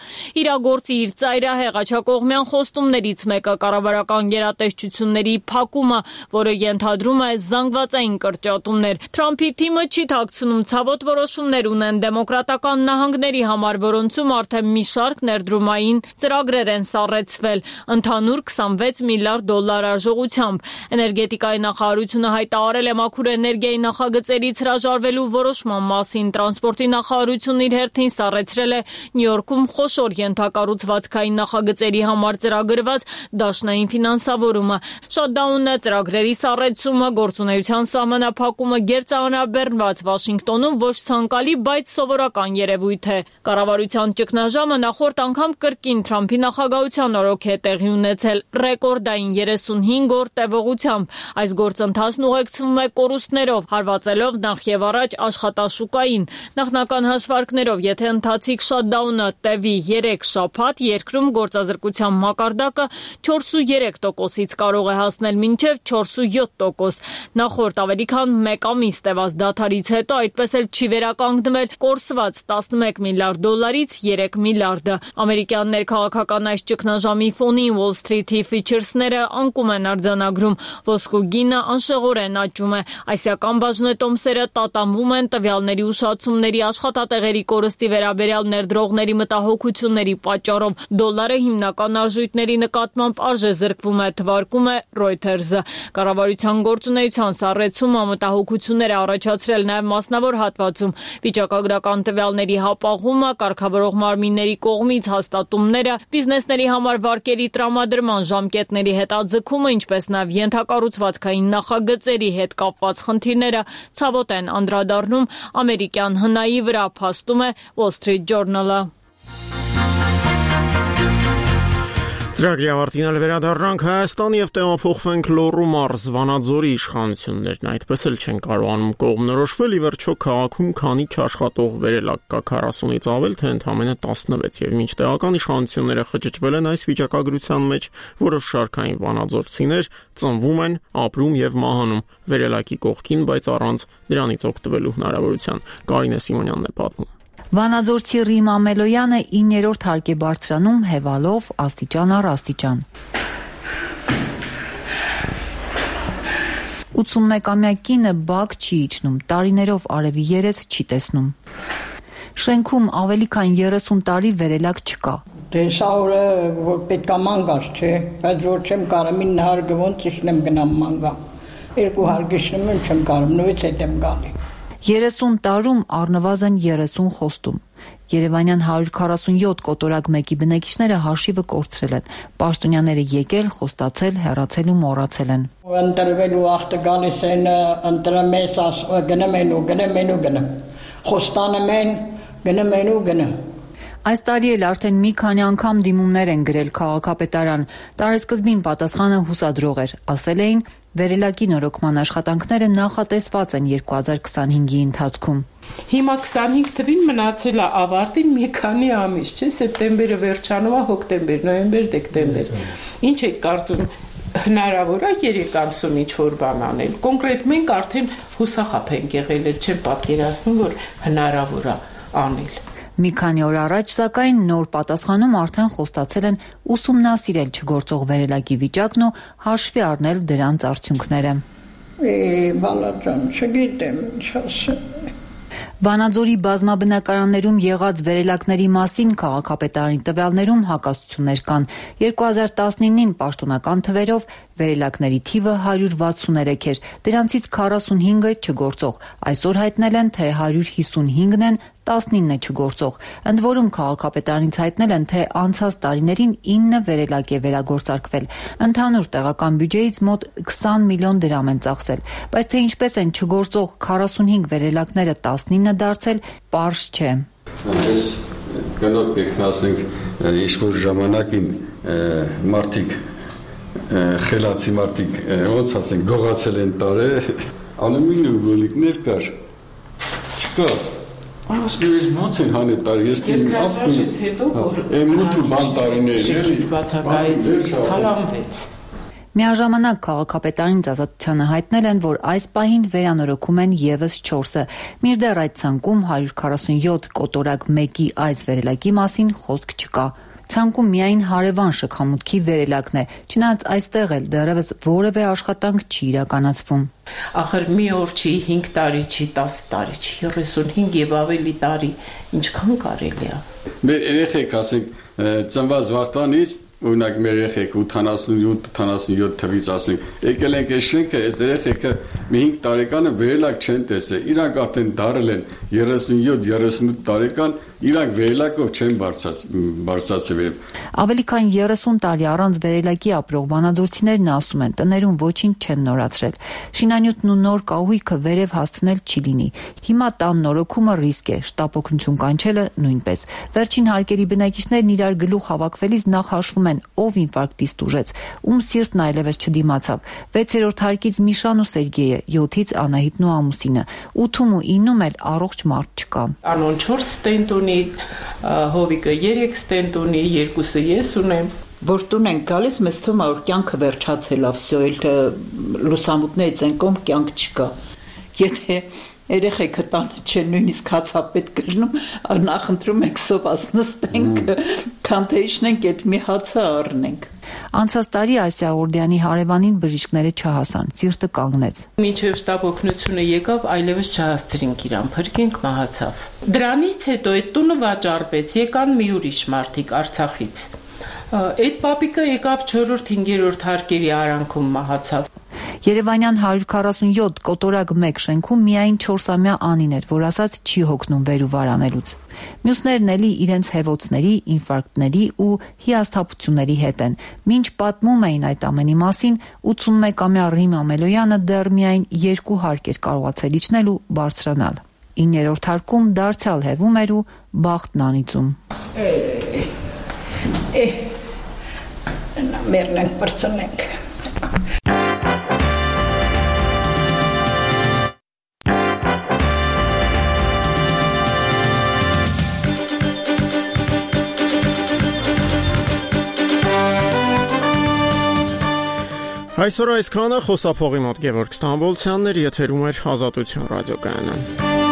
իրագործի իր ծայրահեղ աջակողմյան խոստումներից մեկը կառավարական գերատեսչությունների փակումը, որը ենթադրում է զանգվածային կրճատումներ։ Թրամփի թիմը չի թաքցնում ցավոտ որոշումներ ունեն դեմոկրատական նահանգների համար, որոնցում արդեն մի շարք ներդրումային ծրագրեր են սառեցվել, ընդհանուր քսանվեց միլիարդ դոլար արժողությամբ։ Էներգետիկայի նախարարությունը հայտարարել է մաքուր էներգիայի նախագծերից հրաժարվելու որոշման մասին։ Տրանսպորտի նախարարությունն իր հերթին սառեցրել է Նյու Յորքում խոշոր ենթակառուցվածքային նախագծերի համար ծրագրված դաշնային ֆինանսավորումը։ Շատդաունը, ծրագրերի սառեցումը, գործունեության սահմանափակումը գերծանրաբեռնված Վաշինգտոնում ոչ ցանկալի, բայց սովորական երևույթ է։ Կառավարության ճգնաժամը նախորդ անգամ կրկին Թրամփի նախագահության օրոք է տեղի ունեցել ռեկորդային երեսունհինգ օր տևողությամբ։ Այս գործընթացն ուղեկցվում է կորուստներով, հարվածելով նախ եւ առաջ աշխատաշուկային։ Նախնական հաշվարկներով, եթե ընթացիկ շատդաունը տևի երեք շաբաթ, երկրում գործազրկության մակարդակը չորսուերեք տոկոսից կարող է հասնել մինչև չորսույոթ տոկոս։ Նախորդ ավելի քան մեկ ամիս տևած դադարից հետո այդպես էլ չի վերականգնվել կորսված տասնմեկ միլիարդ դոլարից երեք միլիարդը։ Ամերիկյան ներքաղաքական այս ճգնաժամի ֆոնին Wall Street-ի ֆիչերսները անկում են արձանագրում, ոսկու գինը անշեղորեն աճում է։ Ասիական բաժնետոմսերը տատանվում են տվյալների ուշացումների, աշխատատեղերի կորստի վերաբերյալ ներդրողների մտահոգությունների պատճառով։ Դոլարը հիմնական արժույթների նկատմամբ արժեզրկվում է թվարկում հաղորդում է Reuters-ը։ Կառավարության գործունեության սառեցումը մտահոգություններ է առաջացրել նաև մասնավոր հատվածում։ Վիճակագրական տվյալների հապաղումը, կարգավորող մարմինների կողմից հաստատումները, բիզնեսների համար վարկերի տրամադրման ժամկետների հետաձգումը, ինչպես նաև ենթակառուցվածքային նախագծերի հետ կապված խնդիրները ցավոտ են անդրադառնում ամերիկյան հնայի վրա, փաստում է Wall Street Journal-ը։ Ծրագրի ավարտին վերադառնանք Հայաստան եւ տեղափոխվենք Լոռու մարզ Վանաձորի իշխանություններն այդպես էլ չեն կարողանում կողմնորոշվել ի վերջո քաղաքում քանի չաշխատող վերելակ կա քառասունից ավել թե ընդամենը տասնվեց եւ մինչ տեղական իշխանությունները խճճվել են այս վիճակագրության մեջ որոշ շարքային վանաձորցիներ ծնվում են, ապրում եւ մահանում վերելակի կողքին, բայց առանց դրանից օգտվելու հնարավորության։ Կարինե Սիմոնյանն է պատմում։ Վանաձորցի Ռիմ Ամելոյանը իններորդ հարկ է բարձրանում հևալով աստիճան առ աստիճան։ ութսունմեկամյա կինը բակ չի իջնում, տարիներով արևի երես չի տեսնում։ Շենքում ավելի քան երեսուն տարի վերելակ չկա։ Դե սա օրը որ պետք է մանգած չէ, բայց որ չեմ կարող ինը հարգը ոնց իջնեմ գնամ մանգամ։ Երկու հարկ իջնում եմ չեմ կարող, նույնից հետ եմ գալի։ երեսուն տարում առնվազն երեսուն խոստում։ Երևանյան հարյուր քառասունյոթ կոտորակ մեկի բնակիչները հաշիվը կորցրել են։ Պաշտոնյաները եկել, խոստացել, հեռացել ու մոռացել են։ Ընտրվելու ախտը գալիս են, ընտրում ես, գնում են ու գնում են ու գնում։ Խոստանում են, գնում են ու գնում։ Այս տարի էլ արդեն մի քանի անգամ դիմումներ են գրել քաղաքապետարան։ Տարեսկզբին պատասխանը հուսադրող էր, ասել էին վերելակի նորոգման աշխատանքները նախատեսված են երկու հազար քսանհինգի ընթացքում։ Հիմա քսանհինգ թվին մնացել է ավարտին մի քանի ամիս, չէ՞, սեպտեմբերը վերջանում է, հոկտեմբեր, նոյեմբեր, դեկտեմբեր։ Ինչ եք կարծում, հնարավոր է երեք ամսում ինչ-որ բան անել։ Կոնկրետ մենք արդեն հուսախաբ ենք եղել, չեմ պատկերացնում, որ հնարավոր է անել։ Մի քանի օր առաջ, սակայն, նոր պատասխանում արդեն խոստացել են ուսումնասիրել չգործող վերելակի վիճակն ու հաշվի առնել դրանց արդյունքները։ Է, բալաջան, չգիտեմ ինչ ասեմ։ Վանաձորի բազմաբնակարաններում եղած վերելակների մասին քաղաքապետարանի տվյալներում հակասություններ կան։ երկու հազար տասնինին պաշտոնական թվերով վերելակների թիվը հարյուր վաթսուներեք էր, դրանցից քառասունհինգը չգործող։ Այսօր հայտնել են, թե հարյուր հիսունհինգն են, տասնինը չգործող։ Ընդ որում քաղաքապետարանից հայտնել են, թե անցած տարիներին ինը վերելակ է վերագործարկվել։ Ընդհանուր տեղական բյուջեից մոտ քսան միլիոն դրամ են ծախսել, բայց թե ինչպես են չգործող քառասունհինգ վերելակները տասնինը դարձել, պարզ չէ։ Այս գնոտ եկնասենք ինչ-որ ժամանակին մարդիկ խելացի մարդիկ ոնց ասենք գողացել են տարե ալումինիում գոլիկներ կար չկա ասես ոնց են հանել տարի ես դեմ ապի մութու բան տարիներ էլի բացակայից թալանվեց։ Միաժամանակ քաղաքապետարանից ազատությանը հայտնել են, որ այս պահին վերանորոգում են եւս չորսը։ Մինչդեռ այդ ցանկում հարյուր քառասունյոթ կոտորակ մեկի այս վերելակի մասին խոսք չկա։ Ցանկում միայն հարևան շքամուտքի վերելակն է, չնայած այստեղ էլ դեռևս որևէ աշխատանք չի իրականացվում։ Ախր մի օր չի, հինգ տարի չի, տասը տարի չի, երեսունհինգ եւ ավելի տարի, ինչքան կարելի է։ Մեր երեխեք, ասենք, ծնված վաղտանից օրինակ մեր երեխեք ութանասունյոթ ութանասունյոթ թվից ասենք, եկել ենք այս շենքը, այս երեխեքը մի հինգ տարեկանը վերելակ չեն տեսել, իրանք արդեն դարել են երեսունյոթ երեսունութ տարեկան, իրանք վերելակով չեն բարձրացել։ Ավելի քան երեսուն տարի առանց վերելակի ապրող վանաձորցիներն ասում են, տներում ոչինչ չեն նորացրել։ Շինանյութն ու նոր կահույքը վերև հասցնել չի լինի։ Հիմա տան նորոգումը ռիսկ է, շտապօգնություն կանչելը նույնպես։ Վերջին հարկերի բնակիչներն իրար գլուխ հավաքվելիս նախ հաշվում են, ով ինֆարկտից տուժեց, ում սիրտն այլևս չդիմացավ։ վեցերորդ հարկից Միշան ու Սերգեյը, յոթից Անահիտն ու ամուսինը, ութում ու իննում էլ առողջ մարդ չկա։ Անոն չորս ստենտ ունի, Հովիկը երեք ստենտ ունի, երկուսը ես ունեմ։ Որ տուն ենք գալիս, մեզ թվում է, որ կյանքը վերջացել է, վсё, էլ լուսամուտներից են կողմ կյանք չկա։ Եթե երեխեքը տանը չեն նույնիսկ հացապետ կրնում, նախընտրում ենք սոված նստենք, քան թե իջնենք այդ մի հացը առնենք։ Անցած տարի Ասիա Օրդյանի հարևանին բժիշկները չհասան, սիրտը կանգնեց։ Մինչև շտապօգնությունը եկավ, այլևս չհասցրինք իրան, փրկենք մահացավ։ Դրանից հետո այդ տունը վաճառվեց, եկան մի ուրիշ մարդիկ Արցախից։ Այդ պապիկը եկավ չորրորդ-հինգերորդ հարկերի արանքում մահացավ։ Երևանյան հարյուր քառասունյոթ կոտորակ մեկ շենքում միայն չորսամյա Անին էր, որ ասաց չի հոգնում վեր ու վարանելուց։ Մյուսներն էլի իրենց հեվոցների, ինֆարկտների ու հիասթափությունների հետ են։ Մինչ պատմում էին այդ ամենի մասին, ութսունմեկամյա Ռիմ Ամելոյանը դեռ միայն երկու հարկ էր կարողացել իջնել ու բարձրանալ։ իններորդ հարկում դարձյալ հեվում էր ու բախտն անիծում։ Մերնենք բրցնենք։ Այսօր այսքանը, խոսափողի մոտ Գևորգ Ստամբոլցյանն էր, եթերում էր Ազատություն ռադիոկայանը։